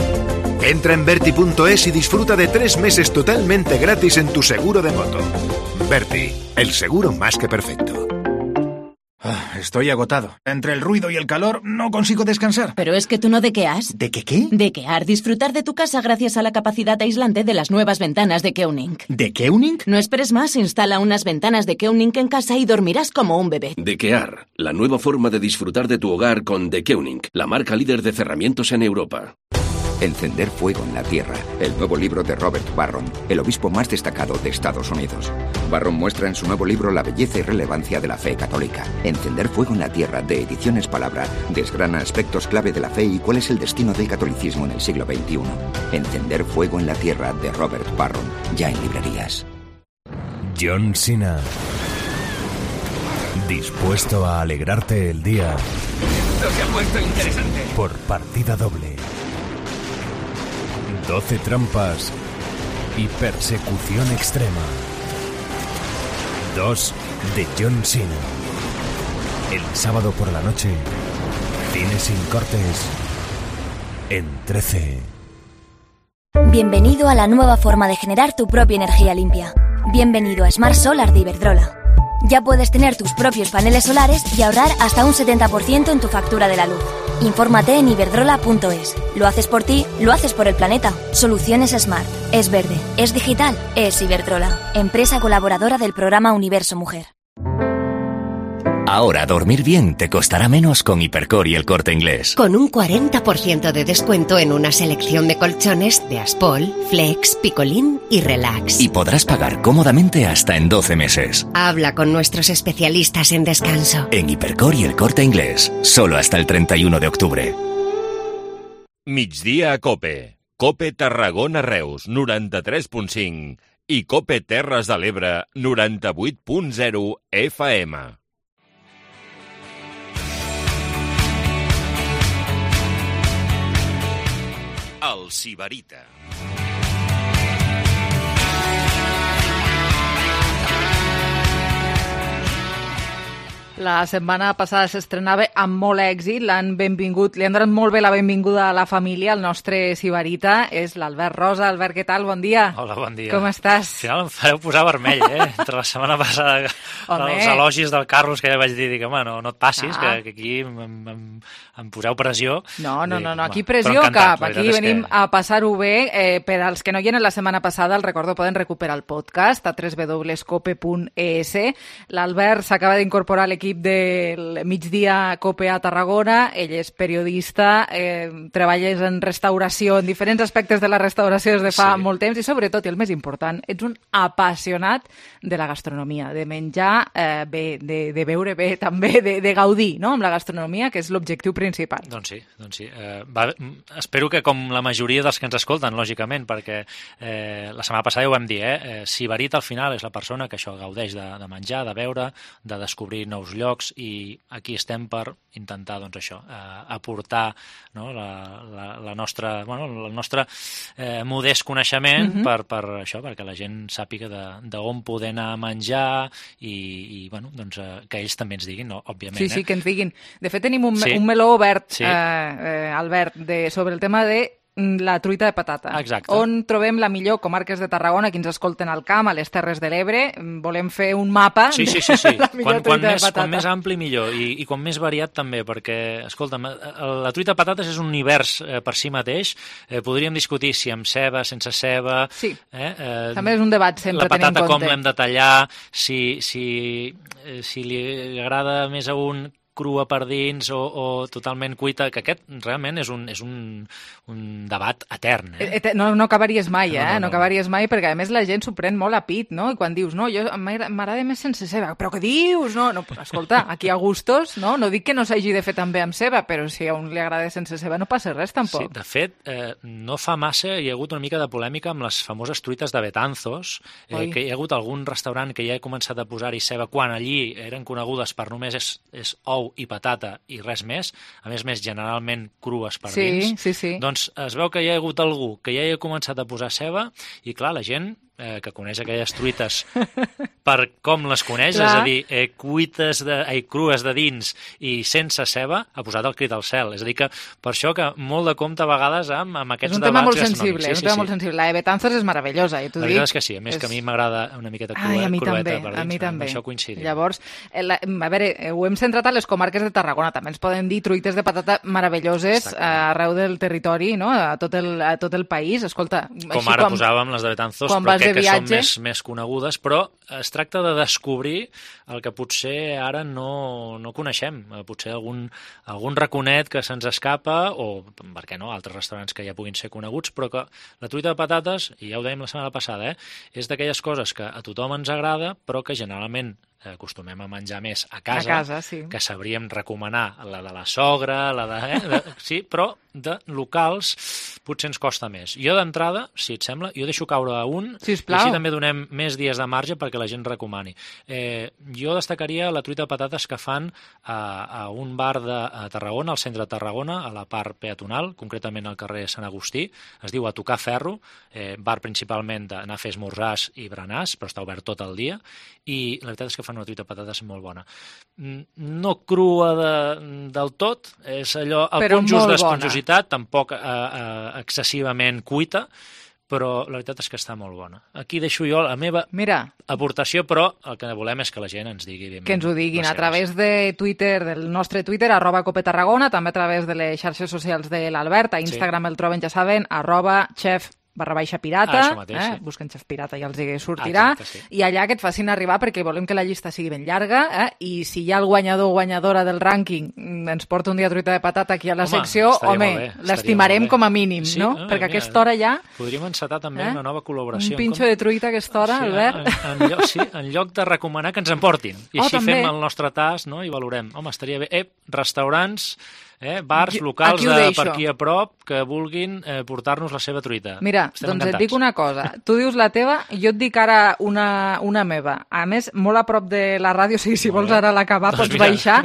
Entra en Berti punto es y disfruta de tres meses totalmente gratis en tu seguro de moto. Berti, el seguro más que perfecto. Ah, estoy agotado. Entre el ruido y el calor no consigo descansar. Pero es que tú no dequeas. ¿De qué qué? Dequear, disfrutar de tu casa gracias a la capacidad aislante de las nuevas ventanas de Keunink. ¿De Keunink? No esperes más, instala unas ventanas de Keunink en casa y dormirás como un bebé. Dequear, la nueva forma de disfrutar de tu hogar con The Keunink, la marca líder de cerramientos en Europa. Encender fuego en la tierra, el nuevo libro de Robert Barron, el obispo más destacado de Estados Unidos. Barron muestra en su nuevo libro la belleza y relevancia de la fe católica. Encender fuego en la tierra, de Ediciones Palabra, desgrana aspectos clave de la fe y cuál es el destino del catolicismo en el siglo veintiuno. Encender fuego en la tierra, de Robert Barron, ya en librerías. John Cena. Dispuesto a alegrarte el día. Esto se ha puesto interesante. Por partida doble. doce trampas y persecución extrema. dos de John Cena. El sábado por la noche, cine sin cortes en trece. Bienvenido a la nueva forma de generar tu propia energía limpia. Bienvenido a Smart Solar de Iberdrola. Ya puedes tener tus propios paneles solares y ahorrar hasta un setenta por ciento en tu factura de la luz. Infórmate en iberdrola punto es. Lo haces por ti, lo haces por el planeta. Soluciones Smart. Es verde, es digital, es Iberdrola. Empresa colaboradora del programa Universo Mujer. Ahora dormir bien te costará menos con Hipercor y El Corte Inglés. Con un cuarenta por ciento de descuento en una selección de colchones de Aspol, Flex, Picolín y Relax. Y podrás pagar cómodamente hasta en doce meses. Habla con nuestros especialistas en descanso. En Hipercor y El Corte Inglés, solo hasta el treinta y uno de octubre. Migdia a Cope. Cope Tarragona Reus, noranta-tres punt cinc. I Cope Terres de l'Ebre, noranta-vuit punt zero F M. El Sibarita. La setmana passada s'estrenava amb molt èxit, l'han benvingut, li han donat molt bé la benvinguda a la família, el nostre Sibarita és l'Albert Rosa. Albert, què tal? Bon dia. Hola, bon dia. Com estàs? Al final em fareu posar vermell, eh? Entre la setmana passada, home, els elogis del Carlos, que ja vaig dir, dic, home, no, no et passis, ah. que, que aquí em, em, em poseu pressió. No, no, dic, no, no, aquí pressió encantat, cap, aquí venim que... a passar-ho bé. Eh, per als que no hi eren la setmana passada, el recordo, poden recuperar el podcast a w w w punt cope punt es. L'Albert s'acaba d'incorporar a l'equip del Migdia Cope a Tarragona, ell és periodista, eh, treballes en restauració, en diferents aspectes de la restauració des de fa sí. molt temps i sobretot, i el més important, ets un apassionat de la gastronomia, de menjar eh, bé, de, de beure bé, també de, de gaudir, no?, amb la gastronomia, que és l'objectiu principal. Doncs sí, doncs sí. Eh, va, espero que com la majoria dels que ens escolten, lògicament, perquè eh, la setmana passada ja ho vam dir, eh, eh, Sibarit al final és la persona que això gaudeix de, de menjar, de beure, de descobrir nous llocs, i aquí estem per intentar, doncs això, eh, aportar, no, la, la, la nostra, bueno, el nostre eh, modest coneixement mm-hmm. per, per això, perquè la gent sàpiga d'on poder anar a menjar i, i bueno, doncs, eh, que ells també ens diguin, no, òbviament. Sí, sí, eh? que ens diguin. De fet, tenim un, sí. un meló obert, sí. eh, eh, Albert, de, sobre el tema de la truita de patata. Exacte. On trobem la millor comarques de Tarragona, qui ens escolten al camp, a les Terres de l'Ebre. Volem fer un mapa sí, sí, sí, sí. de la millor quan, truita quan de més, patata. Quan més ampli, millor. I, i quan més variat, també, perquè, escolta'm, la truita de patates és un univers eh, per si mateix. Eh, podríem discutir si amb ceba, sense ceba... Sí, eh, eh, també és un debat sempre tenir en compte. La patata com l'hem de tallar, si, si, eh, si li agrada més a un crua per dins o, o totalment cuita, que aquest realment és un, és un, un debat etern. Eh? No, no acabaries mai, eh? No, no, no, no acabaries mai, perquè a més la gent s'ho pren molt a pit, no? I quan dius, no, jo m'agrada més sense ceba. Però què dius? No, no, escolta, aquí a gustos, no? No dic que no s'hagi de fer també amb ceba, però si a un li agrada sense ceba no passa res, tampoc. Sí, de fet, eh, no fa massa hi ha hagut una mica de polèmica amb les famoses truites de Betanzos, eh, que hi ha hagut algun restaurant que ja ha començat a posar-hi ceba quan allí eren conegudes per només és, és ou i patata i res més, a més més generalment crues per sí, dins, sí, sí. doncs es veu que hi ha hagut algú que ja hi ha començat a posar ceba i clar, la gent eh, que coneix aquelles truites per com les coneix, clar. És a dir, eh, cuites de, eh, crues de dins i sense ceba, ha posat el crit al cel. És a dir que per això que molt de compte a vegades amb, amb aquests debats gastronòmics. Sí, és un tema molt sensible, sí, és un sí, tema sí. molt sensible. La de Betanzos és meravellosa, eh, t'ho dic. La veritat és que sí, a més és... que a mi m'agrada una miqueta crua, Ai, a mi crueta també, per dins. a mi també. Això coincidim. Llavors, la, a veure, ho hem centrat a les comarques de Tarragona, també ens poden dir truites de patata meravelloses arreu del territori, no? a, tot el, a tot el país. Escolta, com ara quan, posàvem les de Betanzos, quan però vas de crec que viatge. són més, més conegudes, però es tracta de descobrir el que potser ara no, no coneixem. Potser algun, algun raconet que se'ns escapa, o, per què no, altres restaurants que ja puguin ser coneguts, però que la truita de patates, i ja ho dèiem la setmana passada, eh, és d'aquelles coses que a tothom ens agrada, però que generalment acostumem a menjar més a casa, a casa sí. que sabríem recomanar la de la sogra, la de, eh, de, sí, però de locals potser ens costa més. Jo d'entrada, si et sembla, jo deixo caure a un, Sisplau. i així també donem més dies de marge perquè la gent recomani. Eh, jo destacaria la truita de patates que fan a, a un bar de a Tarragona, al centre de Tarragona, a la part peatonal, concretament al carrer Sant Agustí, es diu A Tocar Ferro, eh, bar principalment d'anar a fer esmorzars i berenars, però està obert tot el dia, i la veritat és que fan una truita de patates molt bona. No crua de, del tot, és allò, el Però punt just molt d'esponjositat, tampoc eh, eh, excessivament cuita, però la veritat és que està molt bona. Aquí deixo jo la meva Mira, aportació, però el que volem és que la gent ens digui... que ens ho diguin a través de Twitter, del nostre Twitter, arroba Cope Tarragona, també a través de les xarxes socials de l'Albert, a Instagram sí. El troben, ja saben, arroba chef barra baixa pirata, ah, mateix, eh? sí. Busquen Xef Pirata i els hi sortirà, ah, exacte, sí. i allà que et facin arribar perquè volem que la llista sigui ben llarga, eh? I si hi ha el guanyador o guanyadora del rànquing ens porta un dia truita de patata aquí a la home, secció, home, l'estimarem com a mínim, sí, no? no? Perquè a mira, aquesta hora ja... Podríem encetar també eh? una nova col·laboració. Un pinxo de truita a aquesta hora, sí, Albert. En, en, lloc, sí, en lloc de recomanar que ens emportin. I oh, així també. fem el nostre tas, no? I valorem. Home, estaria bé. Eh, restaurants... Eh, bars, Jo, locals de, deixo. per aquí a prop que vulguin eh, portar-nos la seva truita. Mira, Estem doncs encantats. et dic una cosa. Tu dius la teva, jo et dic ara una, una meva. A més, molt a prop de la ràdio, o sigui, si vols ara l'acabar, Doncs pots mira. baixar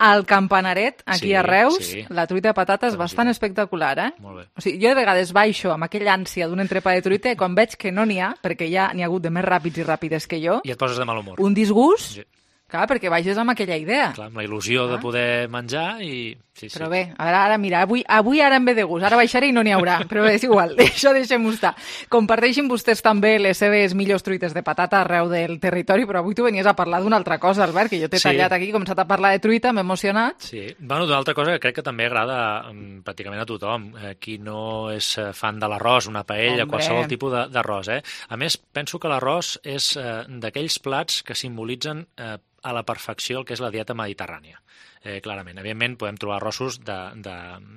al Campanaret, aquí Sí, a Reus. sí. La truita de patates és bastant espectacular, eh? Molt bé. O sigui, jo de vegades baixo amb aquella ànsia d'un entrepà de truita i quan veig que no n'hi ha, perquè ja n'hi ha hagut de més ràpids i ràpides que jo, I et poses de mal humor. un disgust, Sí. clar, perquè baixes amb aquella idea. Clar, amb la il·lusió de poder menjar i... Sí, sí. Però bé, ara, ara mira, avui, avui ara em ve de gust, ara baixaré i no n'hi haurà, però és igual, això deixem-ho estar. Comparteixin vostès també les seves millors truites de patata arreu del territori, però avui tu venies a parlar d'una altra cosa, Albert, que jo t'he Sí. tallat aquí, començat a parlar de truita, m'he emocionat. Sí, bueno, d'una altra cosa que crec que també agrada um, pràcticament a tothom, eh, qui no és eh, fan de l'arròs, una paella, Hombre. qualsevol tipus de- d'arròs. Eh? A més, penso que l'arròs és eh, d'aquells plats que simbolitzen eh, a la perfecció el que és la dieta mediterrània. Eh, clarament, evidentment podem trobar arrossos de, de,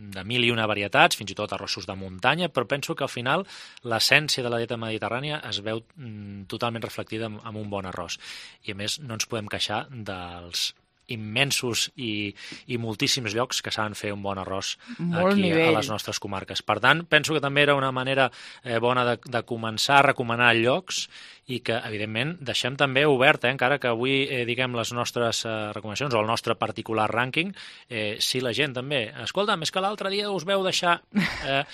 de mil i una varietats, fins i tot arrossos de muntanya, però penso que al final l'essència de la dieta mediterrània es veu mm, totalment reflectida en, en un bon arròs. I a més no ens podem queixar dels immensos i, i moltíssims llocs que saben fer un bon arròs Molt aquí nivell. a les nostres comarques. Per tant, penso que també era una manera eh, bona de, de començar a recomanar llocs i que, evidentment, deixem també obert, eh, encara que avui eh, diguem les nostres eh, recomanacions o el nostre particular rànquing, eh, si la gent també... Escolta, més que l'altre dia us veu deixar... Eh,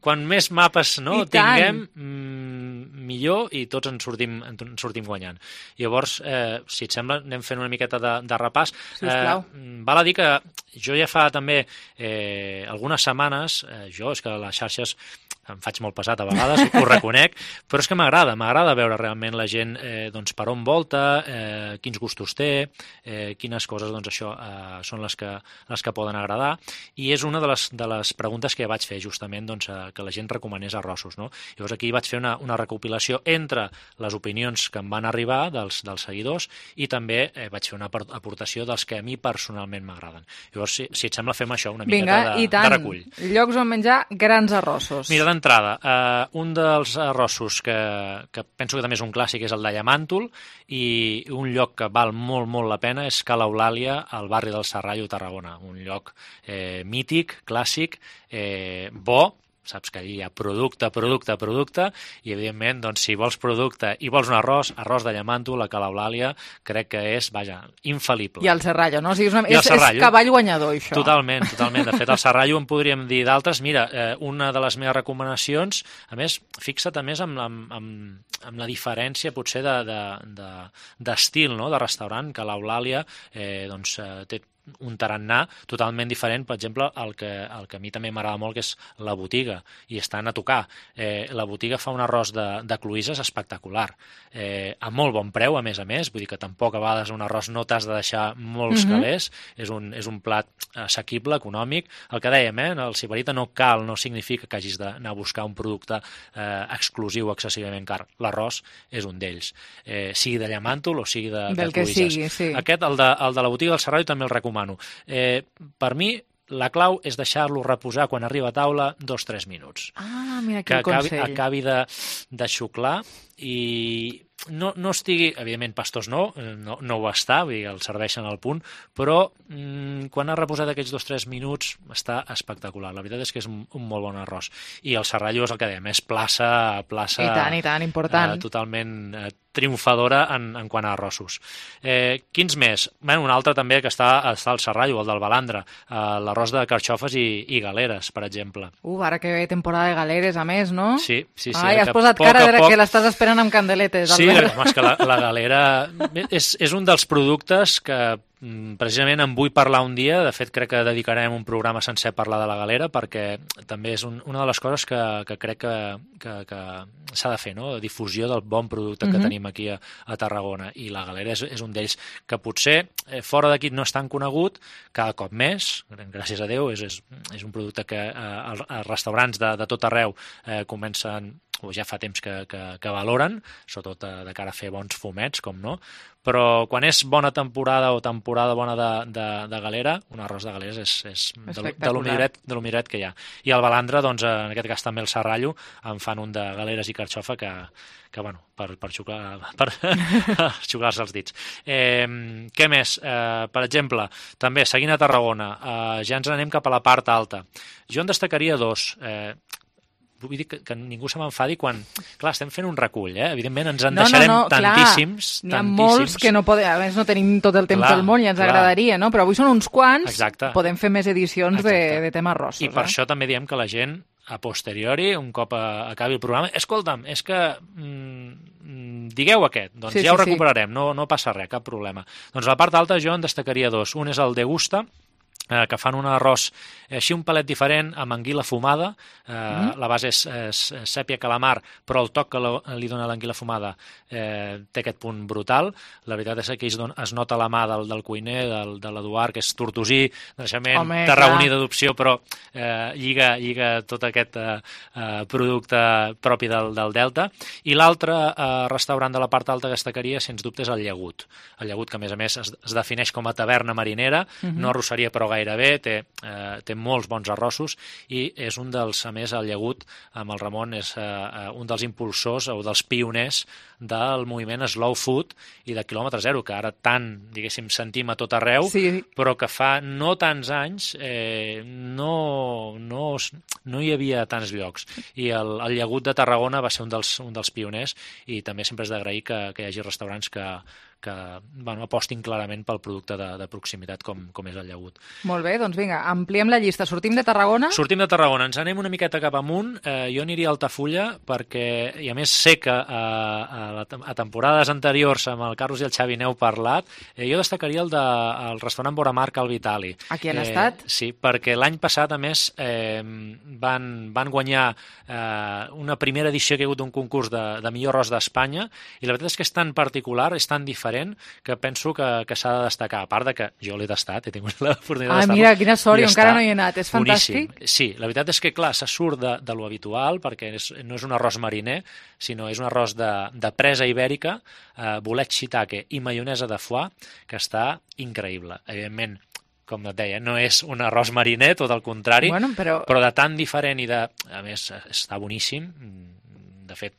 quan més mapes no, I tant. tinguem, mmm, millor i tots en sortim, en sortim guanyant. Llavors, eh, si et sembla, anem fent una miqueta de, de repàs. Sisplau. Eh, val a dir que jo ja fa també eh, algunes setmanes, eh, jo és que les xarxes em faig molt pesat a vegades, ho reconec, però és que m'agrada, m'agrada veure realment la gent eh, doncs, per on volta, eh, quins gustos té, eh, quines coses doncs, això eh, són les que, les que poden agradar, i és una de les, de les preguntes que vaig fer justament doncs, eh, que la gent recomanés arrossos. No? Llavors aquí vaig fer una, una recopilació entre les opinions que em van arribar dels, dels seguidors i també eh, vaig fer una aportació dels que a mi personalment m'agraden. Llavors, si, si et sembla, fem això, una Vinga, miqueta de, i tant. de recull. Llocs on menjar grans arrossos. Mira, d'entrada, eh, un dels arrossos que, que penso que també és un clàssic és el de Llamàntol, i un lloc que val molt, molt la pena és Cala Eulàlia, al barri del Serrallo, Tarragona. Un lloc eh, mític, clàssic, eh, bo, saps que allí hi ha producte, producte, producte, i evidentment, doncs, si vols producte i vols un arròs, arròs de Llamàntol, a Cala Eulàlia, crec que és, vaja, infal·lible. I el Serrallo, no? O sigui, és, una... I el és, és Serrallo. cavall guanyador, això. Totalment, totalment. De fet, el Serrallo en podríem dir d'altres. Mira, eh, una de les meves recomanacions, a més, fixa't a més amb, amb, amb, amb la diferència potser d'estil, de, de, de, no?, de restaurant, que l'Eulàlia eh, doncs, eh, té un tarannà totalment diferent, per exemple, el que, el que a mi també m'agrada molt, que és la botiga, i estan a tocar. Eh, la botiga fa un arròs de, de cloïsses espectacular, eh, a molt bon preu, a més a més, vull dir que tampoc a vegades un arròs no t'has de deixar molts Mhm. calés, és un, és un plat assequible, econòmic. El que dèiem, eh, el sibarita no cal, no significa que hagis d'anar a buscar un producte eh, exclusiu, excessivament car. L'arròs és un d'ells, eh, sigui de llamàntol o sigui de, de Del que cloïsses. sigui, sí. Aquest, el de, el de la botiga del Serrallo, també el recomano. Eh, per mi, la clau és deixar-lo reposar quan arriba a taula dos o tres minuts. Ah, mira Que quin acabi, consell. acabi de, de xuclar i no, no estigui, evidentment, pastós no, no, no ho està, vull dir, el serveixen al punt, però mmm, quan ha reposat aquests dos o tres minuts està espectacular. La veritat és que és un, un molt bon arròs. I el Serrallo és el que dèiem, és plaça, plaça I tant, i tant, important. Eh, totalment eh, triomfadora en, en quant a arrossos. Eh, quins més? Bueno, un altre també que està, està al Serrallo, el del Balandra, eh, l'arròs de carxofes i, i galeres, per exemple. Uh, ara que ve temporada de galeres, a més, no? Sí, sí, sí. Ai, ara has que posat poc cara a de poc- que l'estàs esperant amb candeletes, Sí, Albert. home, és que la, la galera és, és un dels productes que mm, precisament en vull parlar un dia. De fet, crec que dedicarem un programa sencer a parlar de la galera, perquè també és un, una de les coses que, que crec que, que, que s'ha de fer, no? La difusió del bon producte que Mhm. tenim aquí a, a Tarragona, i la galera és, és un d'ells que potser eh, fora d'aquí no és tan conegut, cada cop més, gràcies a Déu, és, és, és un producte que eh, els, els restaurants de, de tot arreu eh, comencen, o ja fa temps que, que, que valoren, sobretot de, de cara a fer bons fumets, com no, però quan és bona temporada o temporada bona de, de, de galera, un arròs de galeres és, és de, lo- de lo milloret, de lo milloret que hi ha. I el Balandra, doncs, en aquest cas també el Serrallo, en fan un de galeres i carxofa que, que bueno, per, per xuclar, per xuclar-se els dits. Eh, què més? Eh, per exemple, també, seguint a Tarragona, eh, ja ens anem cap a la part alta. Jo en destacaria dos. Eh, vull dir que, que ningú se m'enfadi quan... Clar, estem fent un recull, eh? Evidentment ens en No, no, deixarem no, clar, tantíssims, n'hi ha tantíssims. molts que no podem, a més no tenim tot el temps Clar, del món i ens clar. agradaria, no? Però avui són uns quants, Exacte. podem fer més edicions de, de temes rossos. I per eh? això també diem que la gent, a posteriori, un cop a, acabi el programa, escolta'm, és que mm, digueu aquest, doncs Sí, ja ho sí, sí. recuperarem, no, no passa res, cap problema. Doncs a la part alta jo en destacaria dos. Un és el Degusta, eh, que fan un arròs eh, així un palet diferent, amb anguila fumada. Eh, Mm. La base és, és sèpia calamar, però el toc que lo, li dona l'anguila fumada eh, té aquest punt brutal. La veritat és que aquí es, don, es nota la mà del, del cuiner, del, de l'Eduard, que és tortosí, de naixement, Home, tarragoní clar. d'adopció, però eh, lliga, lliga tot aquest eh, eh, producte propi del, del Delta. I l'altre eh, restaurant de la part alta que destacaria, sens dubte, és el Llagut. El Llagut, que a més a més es, es defineix com a taverna marinera, Mhm. no arrosseria però gairebé, té, eh, té molts bons arrossos, i és un dels, a més, el Llagut, amb el Ramon, és eh, eh, un dels impulsors o dels pioners del moviment Slow Food i de quilòmetre zero, que ara tant, diguéssim, sentim a tot arreu, Sí. però que fa no tants anys eh, no, no, es- no hi havia tants llocs. I el, el Llagut de Tarragona va ser un dels, un dels pioners, i també sempre és d'agrair que, que hi hagi restaurants que, que bueno, apostin clarament pel producte de, de proximitat com, com és el Llagut. Molt bé, doncs vinga, ampliem la llista. Sortim de Tarragona? Sortim de Tarragona, ens anem una miqueta cap amunt. Eh, jo aniria a Altafulla perquè, i a més sé que eh, a, la, a temporades anteriors amb el Carlos i el Xavi n'heu parlat, eh, jo destacaria el, de, el restaurant Boramarc al Vitali. Aquí han estat? Sí, perquè l'any passat, a més, eh, van, van guanyar eh, una primera edició que hi ha hagut d'un concurs de, de millor arròs d'Espanya, i la veritat és que és tan particular, és tan diferent, que penso que, que s'ha de destacar. A part de que jo l'he tastat, he tingut l'oportunitat Ah, d'estar-lo. mira, quina sort, i jo encara està no hi he anat. És boníssim. fantàstic? Sí, la veritat és que, clar, se surt de, de lo habitual, perquè és, no és un arròs mariner, sinó és un arròs de, de presa ibèrica, eh, bolet shiitake i maionesa de foie, que està increïble. Evidentment, com et deia, no és un arròs mariner, tot el contrari, Bueno, però- però de tan diferent i de... A més, està boníssim. De fet,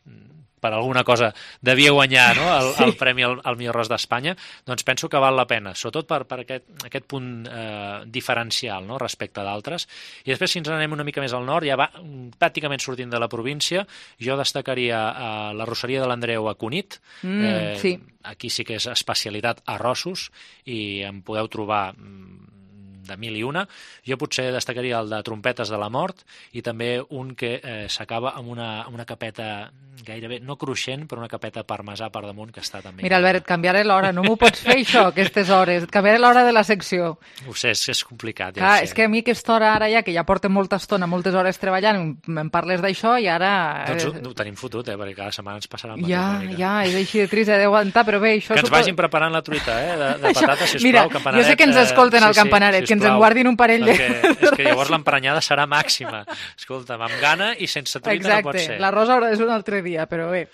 per alguna cosa devia guanyar, no? el, Sí. el premi al, al millor arròs d'Espanya, doncs penso que val la pena, sobretot per, per aquest, aquest punt eh, diferencial, no? Respecte d'altres. I després, si ens anem una mica més al nord, ja va pràcticament sortint de la província, jo destacaria eh, la rosseria de l'Andreu a Cunit. Mm, sí. Aquí sí que és especialitat arrossos, i en podeu trobar mm, de mil i una. Jo potser destacaria el de Trompetes de la Mort i també un que eh, s'acaba amb una, amb una capeta gairebé, no cruixent, però una capeta parmesà per damunt que està també... Mira, Albert, et canviaré l'hora, no m'ho pots fer això, aquestes hores, et canviaré l'hora de la secció. Ho sé, és, és complicat, ja Clar, ho sé. és que a mi aquesta hora ara ja, que ja porto molta estona, moltes hores treballant, em parles d'això i ara... Doncs ho, ho tenim fotut, eh, perquè cada setmana ens passarà el mateix. Ja, ja, és així de trist, he d'aguantar, però bé, això... Que ens suposo... vagin preparant la truita, eh, de, de patata, sisplau, Mira, campanaret. jo sé que ens escolten eh, al campanaret, sí, sí, que ens en guardin un parell de... Perquè, és que llavors l'emprenyada serà màxima. Escolta'm, amb gana i sense truita Exacte, no pot ser. l'arròs haurà de ser un altre dia, però bé.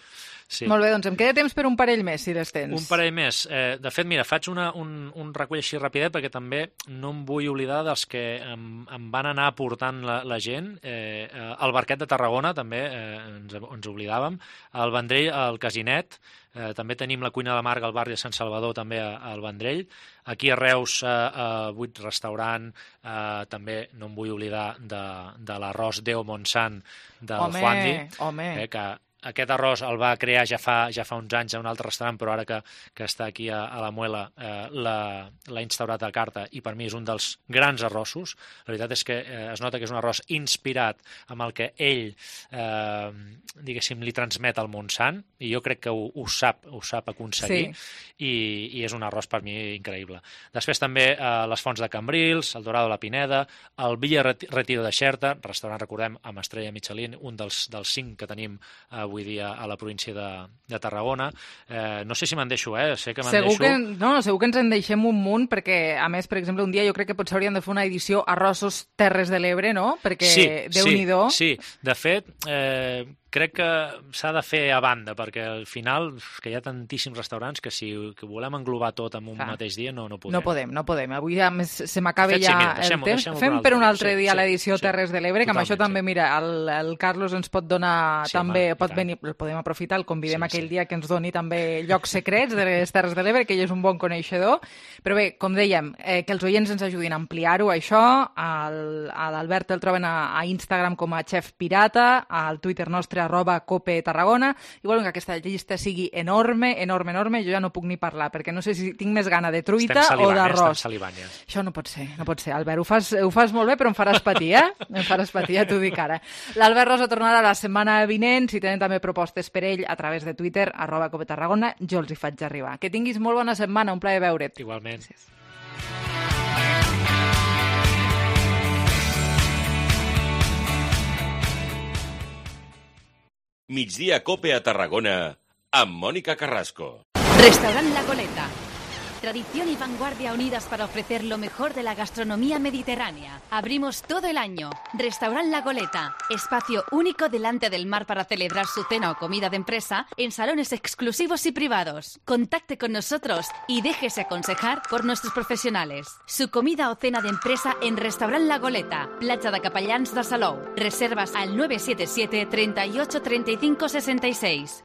Sí. Molt bé, doncs em queda temps per un parell més, si les tens. Un parell més. Eh, de fet, mira, faig una, un, un recull així rapidet perquè també no em vull oblidar dels que em, em van anar aportant la, la gent. Eh, el Barquet de Tarragona, també, eh, ens, ens oblidàvem. El Vendrell, el Casinet. Eh, també tenim la Cuina de Marga al barri de Sant Salvador, també al Vendrell. Aquí a Reus, eh, a Vuit Restaurant, eh, també no em vull oblidar de, de l'arròs Déu Montsant del home, Juandi. Home, eh, que aquest arròs el va crear ja fa, ja fa uns anys a un altre restaurant, però ara que, que està aquí a, a la Muela eh, l'ha instaurat a carta i per mi és un dels grans arrossos. La veritat és que eh, es nota que és un arròs inspirat amb el que ell eh, diguéssim, li transmet al Montsant i jo crec que ho, ho sap, ho sap aconseguir sí. i, i és un arròs per mi increïble. Després també eh, les Fonts de Cambrils, el Dorado de la Pineda, el Villa Retiro de Xerta, restaurant, recordem, amb estrella Michelin, un dels, dels cinc que tenim avui avui dia a la província de, de Tarragona. Eh, no sé si me'n deixo, eh? Sé que me'n deixo. Que, no, segur que ens en deixem un munt, perquè, a més, per exemple, un dia jo crec que potser hauríem de fer una edició Arrossos Terres de l'Ebre, no? Perquè, sí, Déu-n'hi-do. Sí, sí, de fet, eh, crec que s'ha de fer a banda, perquè al final que hi ha tantíssims restaurants que si que volem englobar tot en un Clar. mateix dia no, no podem. No podem, no podem. Avui ja més se m'acaba ja sí, mira, el temps. Fem per un altre dia sí, l'edició sí, Terres de l'Ebre, que amb això també, sí. mira, el, el Carlos ens pot donar sí, també, home, pot venir, el podem aprofitar, el convidem sí, aquell sí. dia que ens doni també llocs secrets de les Terres de l'Ebre, que ell és un bon coneixedor. Però bé, com dèiem, eh, que els oients ens ajudin a ampliar-ho, això. A l'Albert el troben a, a Instagram com a Chef Pirata, al Twitter nostre arroba cope Tarragona, i volen que aquesta llista sigui enorme, enorme, enorme, jo ja no puc ni parlar, perquè no sé si tinc més gana de truita o d'arròs. Ja. Això no pot ser, no pot ser. Albert, ho fas, ho fas molt bé, però em faràs patir, eh? Em faràs patir, ja t'ho dic ara. L'Albert Rosa tornarà la setmana vinent, si tenen també propostes per ell a través de Twitter, arroba cope Tarragona, jo els hi faig arribar. Que tinguis molt bona setmana, un plaer veure't. Igualment. Gràcies. Migdia Cope a Tarragona amb Mónica Carrasco. Restaurant La Goleta. Tradición y vanguardia unidas para ofrecer lo mejor de la gastronomía mediterránea. Abrimos todo el año. Restaurant La Goleta. Espacio único delante del mar para celebrar su cena o comida de empresa en salones exclusivos y privados. Contacte con nosotros y déjese aconsejar por nuestros profesionales. Su comida o cena de empresa en Restaurant La Goleta. Platja de Capellans de Salou. Reservas al nueve siete siete, treinta y ocho, treinta y cinco, sesenta y seis.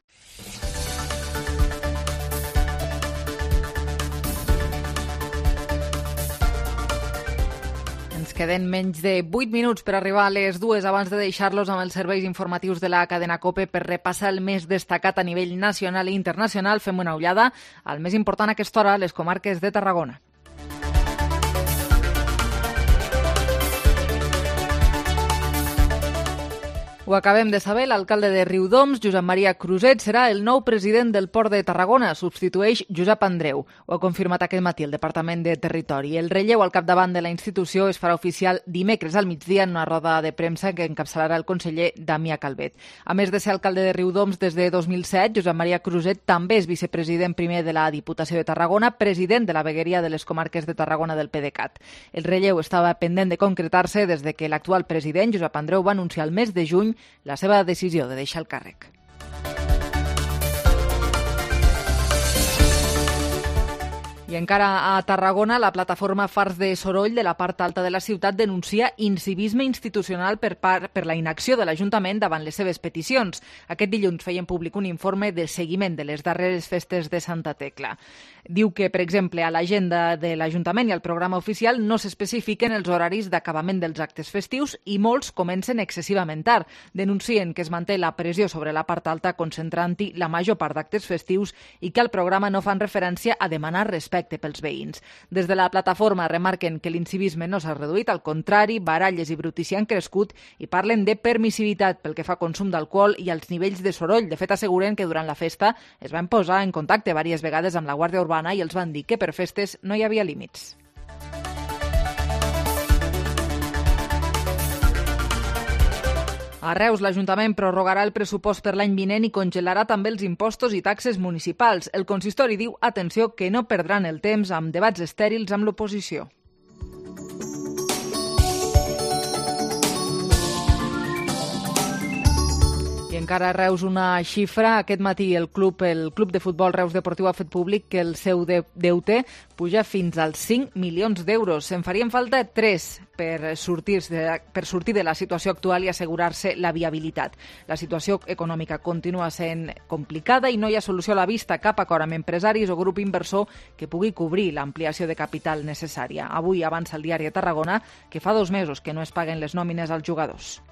Ens queden menys de vuit minuts per arribar a les dues abans de deixar-los amb els serveis informatius de la cadena COPE per repassar el més destacat a nivell nacional i internacional. Fem una ullada al més important a aquesta hora, les comarques de Tarragona. Ho acabem de saber, l'alcalde de Riudoms, Josep Maria Cruzet, serà el nou president del Port de Tarragona. Substitueix Josep Andreu. Ho ha confirmat aquest matí el Departament de Territori. El relleu al capdavant de la institució es farà oficial dimecres al migdia en una roda de premsa que encapçalarà el conseller Damià Calvet. A més de ser alcalde de Riudoms des de dos mil set, Josep Maria Cruzet també és vicepresident primer de la Diputació de Tarragona, president de la vegueria de les comarques de Tarragona del PDeCAT. El relleu estava pendent de concretar-se des de que l'actual president, Josep Andreu, va anunciar el mes de juny la seva decisió de deixar el càrrec. I encara a Tarragona, la plataforma Fars de Soroll de la part alta de la ciutat denuncia incivisme institucional per, part, per la inacció de l'Ajuntament davant les seves peticions. Aquest dilluns feien públic un informe de seguiment de les darreres festes de Santa Tecla. Diu que, per exemple, a l'agenda de l'Ajuntament i al programa oficial no s'especifiquen els horaris d'acabament dels actes festius i molts comencen excessivament tard. Denuncien que es manté la pressió sobre la part alta concentrant-hi la major part d'actes festius i que al programa no fan referència a demanar respecte respecte pels veïns. Des de la plataforma remarquen que l'incivisme no s'ha reduït, al contrari, baralles i brutícia han crescut i parlen de permissivitat pel que fa a consum d'alcohol i als nivells de soroll. De fet, asseguren que durant la festa es van posar en contacte diverses vegades amb la Guàrdia Urbana i els van dir que per festes no hi havia límits. A Reus, l'Ajuntament prorrogarà el pressupost per l'any vinent i congelarà també els impostos i taxes municipals. El consistori diu, atenció, que no perdran el temps amb debats estèrils amb l'oposició. I encara a Reus una xifra. Aquest matí el club, el club de futbol Reus Deportiu ha fet públic que el seu de, deute puja fins als cinc milions d'euros. En farien falta tres per sortir, de, per sortir de la situació actual i assegurar-se la viabilitat. La situació econòmica continua sent complicada i no hi ha solució a la vista, cap acord amb empresaris o grup inversor que pugui cobrir l'ampliació de capital necessària. Avui avança el diari de Tarragona que fa dos mesos que no es paguen les nòmines als jugadors.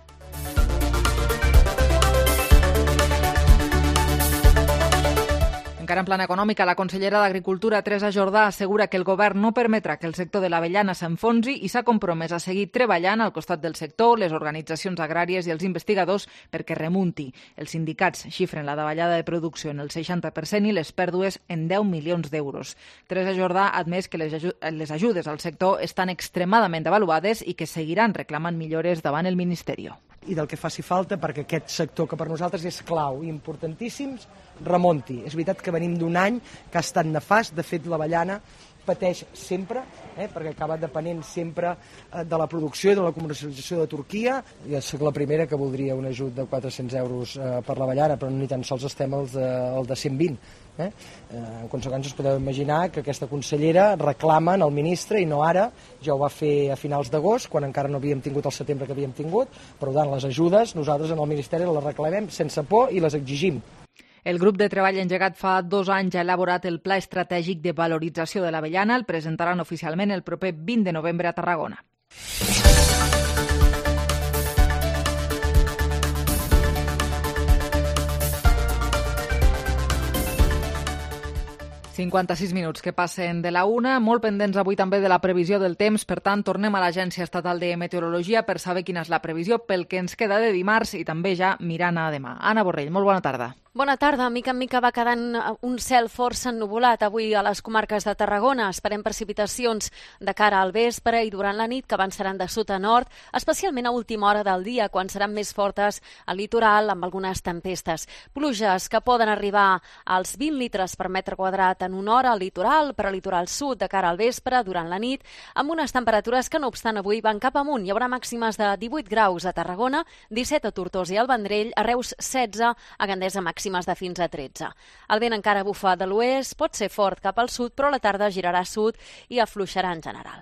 Encara en plan econòmica, la consellera d'Agricultura, Teresa Jordà, assegura que el govern no permetrà que el sector de l'avellana s'enfonsi i s'ha compromès a seguir treballant al costat del sector, les organitzacions agràries i els investigadors perquè remunti. Els sindicats xifren la davallada de producció en el seixanta per cent i les pèrdues en deu milions d'euros. Teresa Jordà ha admès que les, aju les ajudes al sector estan extremadament devaluades i que seguiran reclamant millores davant el Ministeri. I del que faci falta perquè aquest sector, que per nosaltres és clau i importantíssim, remonti. És veritat que venim d'un any que ha estat nefast. De fet, l'avellana pateix sempre, eh, perquè acaba depenent sempre eh, de la producció i de la comercialització de Turquia. Jo soc la primera que voldria un ajut de quatre-cents euros eh, per l'avellana, però ni tan sols estem al de, al de cent vint. Eh? Eh, en conseqüència, us podeu imaginar que aquesta consellera reclama al ministre, i no ara, ja ho va fer a finals d'agost, quan encara no havíem tingut el setembre que havíem tingut, però tant les ajudes, nosaltres en el Ministeri les reclamem sense por i les exigim. El grup de treball engegat fa dos anys ha elaborat el Pla Estratègic de Valorització de l'Avellana. El presentaran oficialment el proper vint de novembre a Tarragona. cinquanta-sis minuts que passen de la una, molt pendents avui també de la previsió del temps, per tant tornem a l'Agència Estatal de Meteorologia per saber quina és la previsió pel que ens queda de dimarts i també ja mirant a demà. Anna Borrell, molt bona tarda. Bona tarda. Mica en mica va quedant un cel força ennuvolat avui a les comarques de Tarragona. Esperem precipitacions de cara al vespre i durant la nit que avançaran de sud a nord, especialment a última hora del dia, quan seran més fortes al litoral amb algunes tempestes. Pluges que poden arribar als vint litres per metre quadrat en una hora al litoral, per al litoral sud de cara al vespre, durant la nit, amb unes temperatures que no obstant avui van cap amunt. Hi haurà màximes de divuit graus a Tarragona, disset a Tortosa i al Vendrell, a Reus setze, a Gandesa màximes de fins a tretze. El vent encara bufa de l'oest, pot ser fort cap al sud, però a la tarda girarà a sud i afluixarà en general.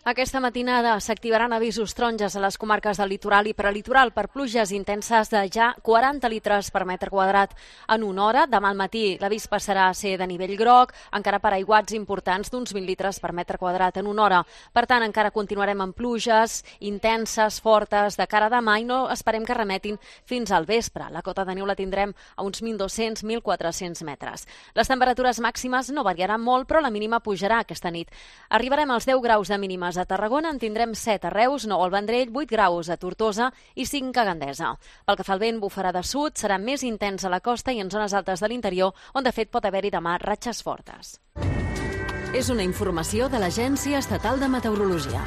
Aquesta matinada s'activaran avisos taronges a les comarques del litoral i prelitoral per pluges intenses de ja quaranta litres per metre quadrat en una hora. Demà al matí l'avís passarà a ser de nivell groc, encara per aiguats importants d'uns vint litres per metre quadrat en una hora. Per tant, encara continuarem amb pluges intenses, fortes, de cara a demà i no esperem que remetin fins al vespre. La cota de neu la tindrem a uns mil dos-cents a mil quatre-cents metres. Les temperatures màximes no variaran molt, però la mínima pujarà aquesta nit. Arribarem als deu graus de mínimes a Tarragona, en tindrem set a Reus, nou al Vendrell, vuit graus a Tortosa i cinc a Gandesa. Pel que fa al vent, bufarà de sud, serà més intens a la costa i en zones altes de l'interior, on de fet pot haver-hi demà ratxes fortes. És una informació de l'Agència Estatal de Meteorologia.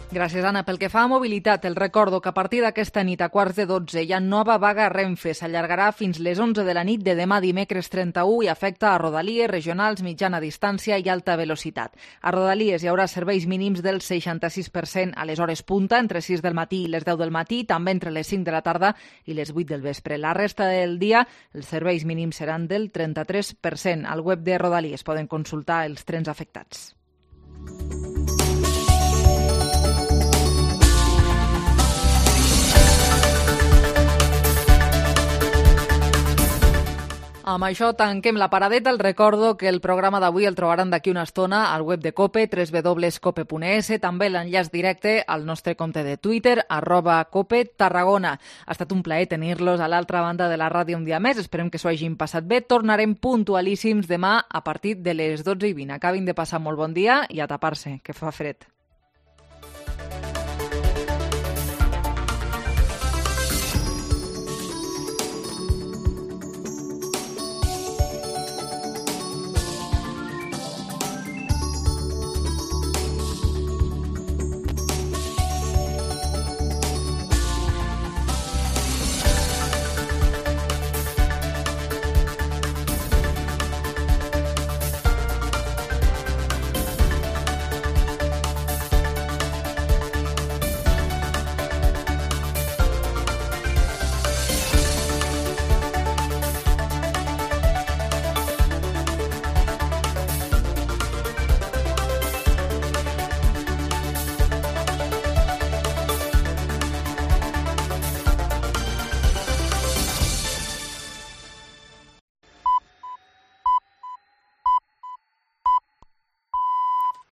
Gràcies, Anna. Pel que fa a mobilitat, el recordo que a partir d'aquesta nit a quarts de dotze hi ha nova vaga a Renfe. S'allargarà fins les onze de la nit de demà dimecres trenta-u i afecta a rodalies, regionals, mitjana distància i alta velocitat. A rodalies hi haurà serveis mínims del seixanta-sis per cent a les hores punta, entre sis del matí i les deu del matí, també entre les cinc de la tarda i les vuit del vespre. La resta del dia, els serveis mínims seran del trenta-tres per cent. Al web de Rodalies poden consultar els trens afectats. Amb això tanquem la paradeta. El recordo que el programa d'avui el trobaran d'aquí una estona al web de COPE, w w w punt cope punt e s, també l'enllaç directe al nostre compte de Twitter, arroba Cope Tarragona. Ha estat un plaer tenir-los a l'altra banda de la ràdio un dia més. Esperem que s'ho hagin passat bé. Tornarem puntualíssims demà a partir de les dotze i vint. Acabin de passar molt bon dia i a tapar-se, que fa fred.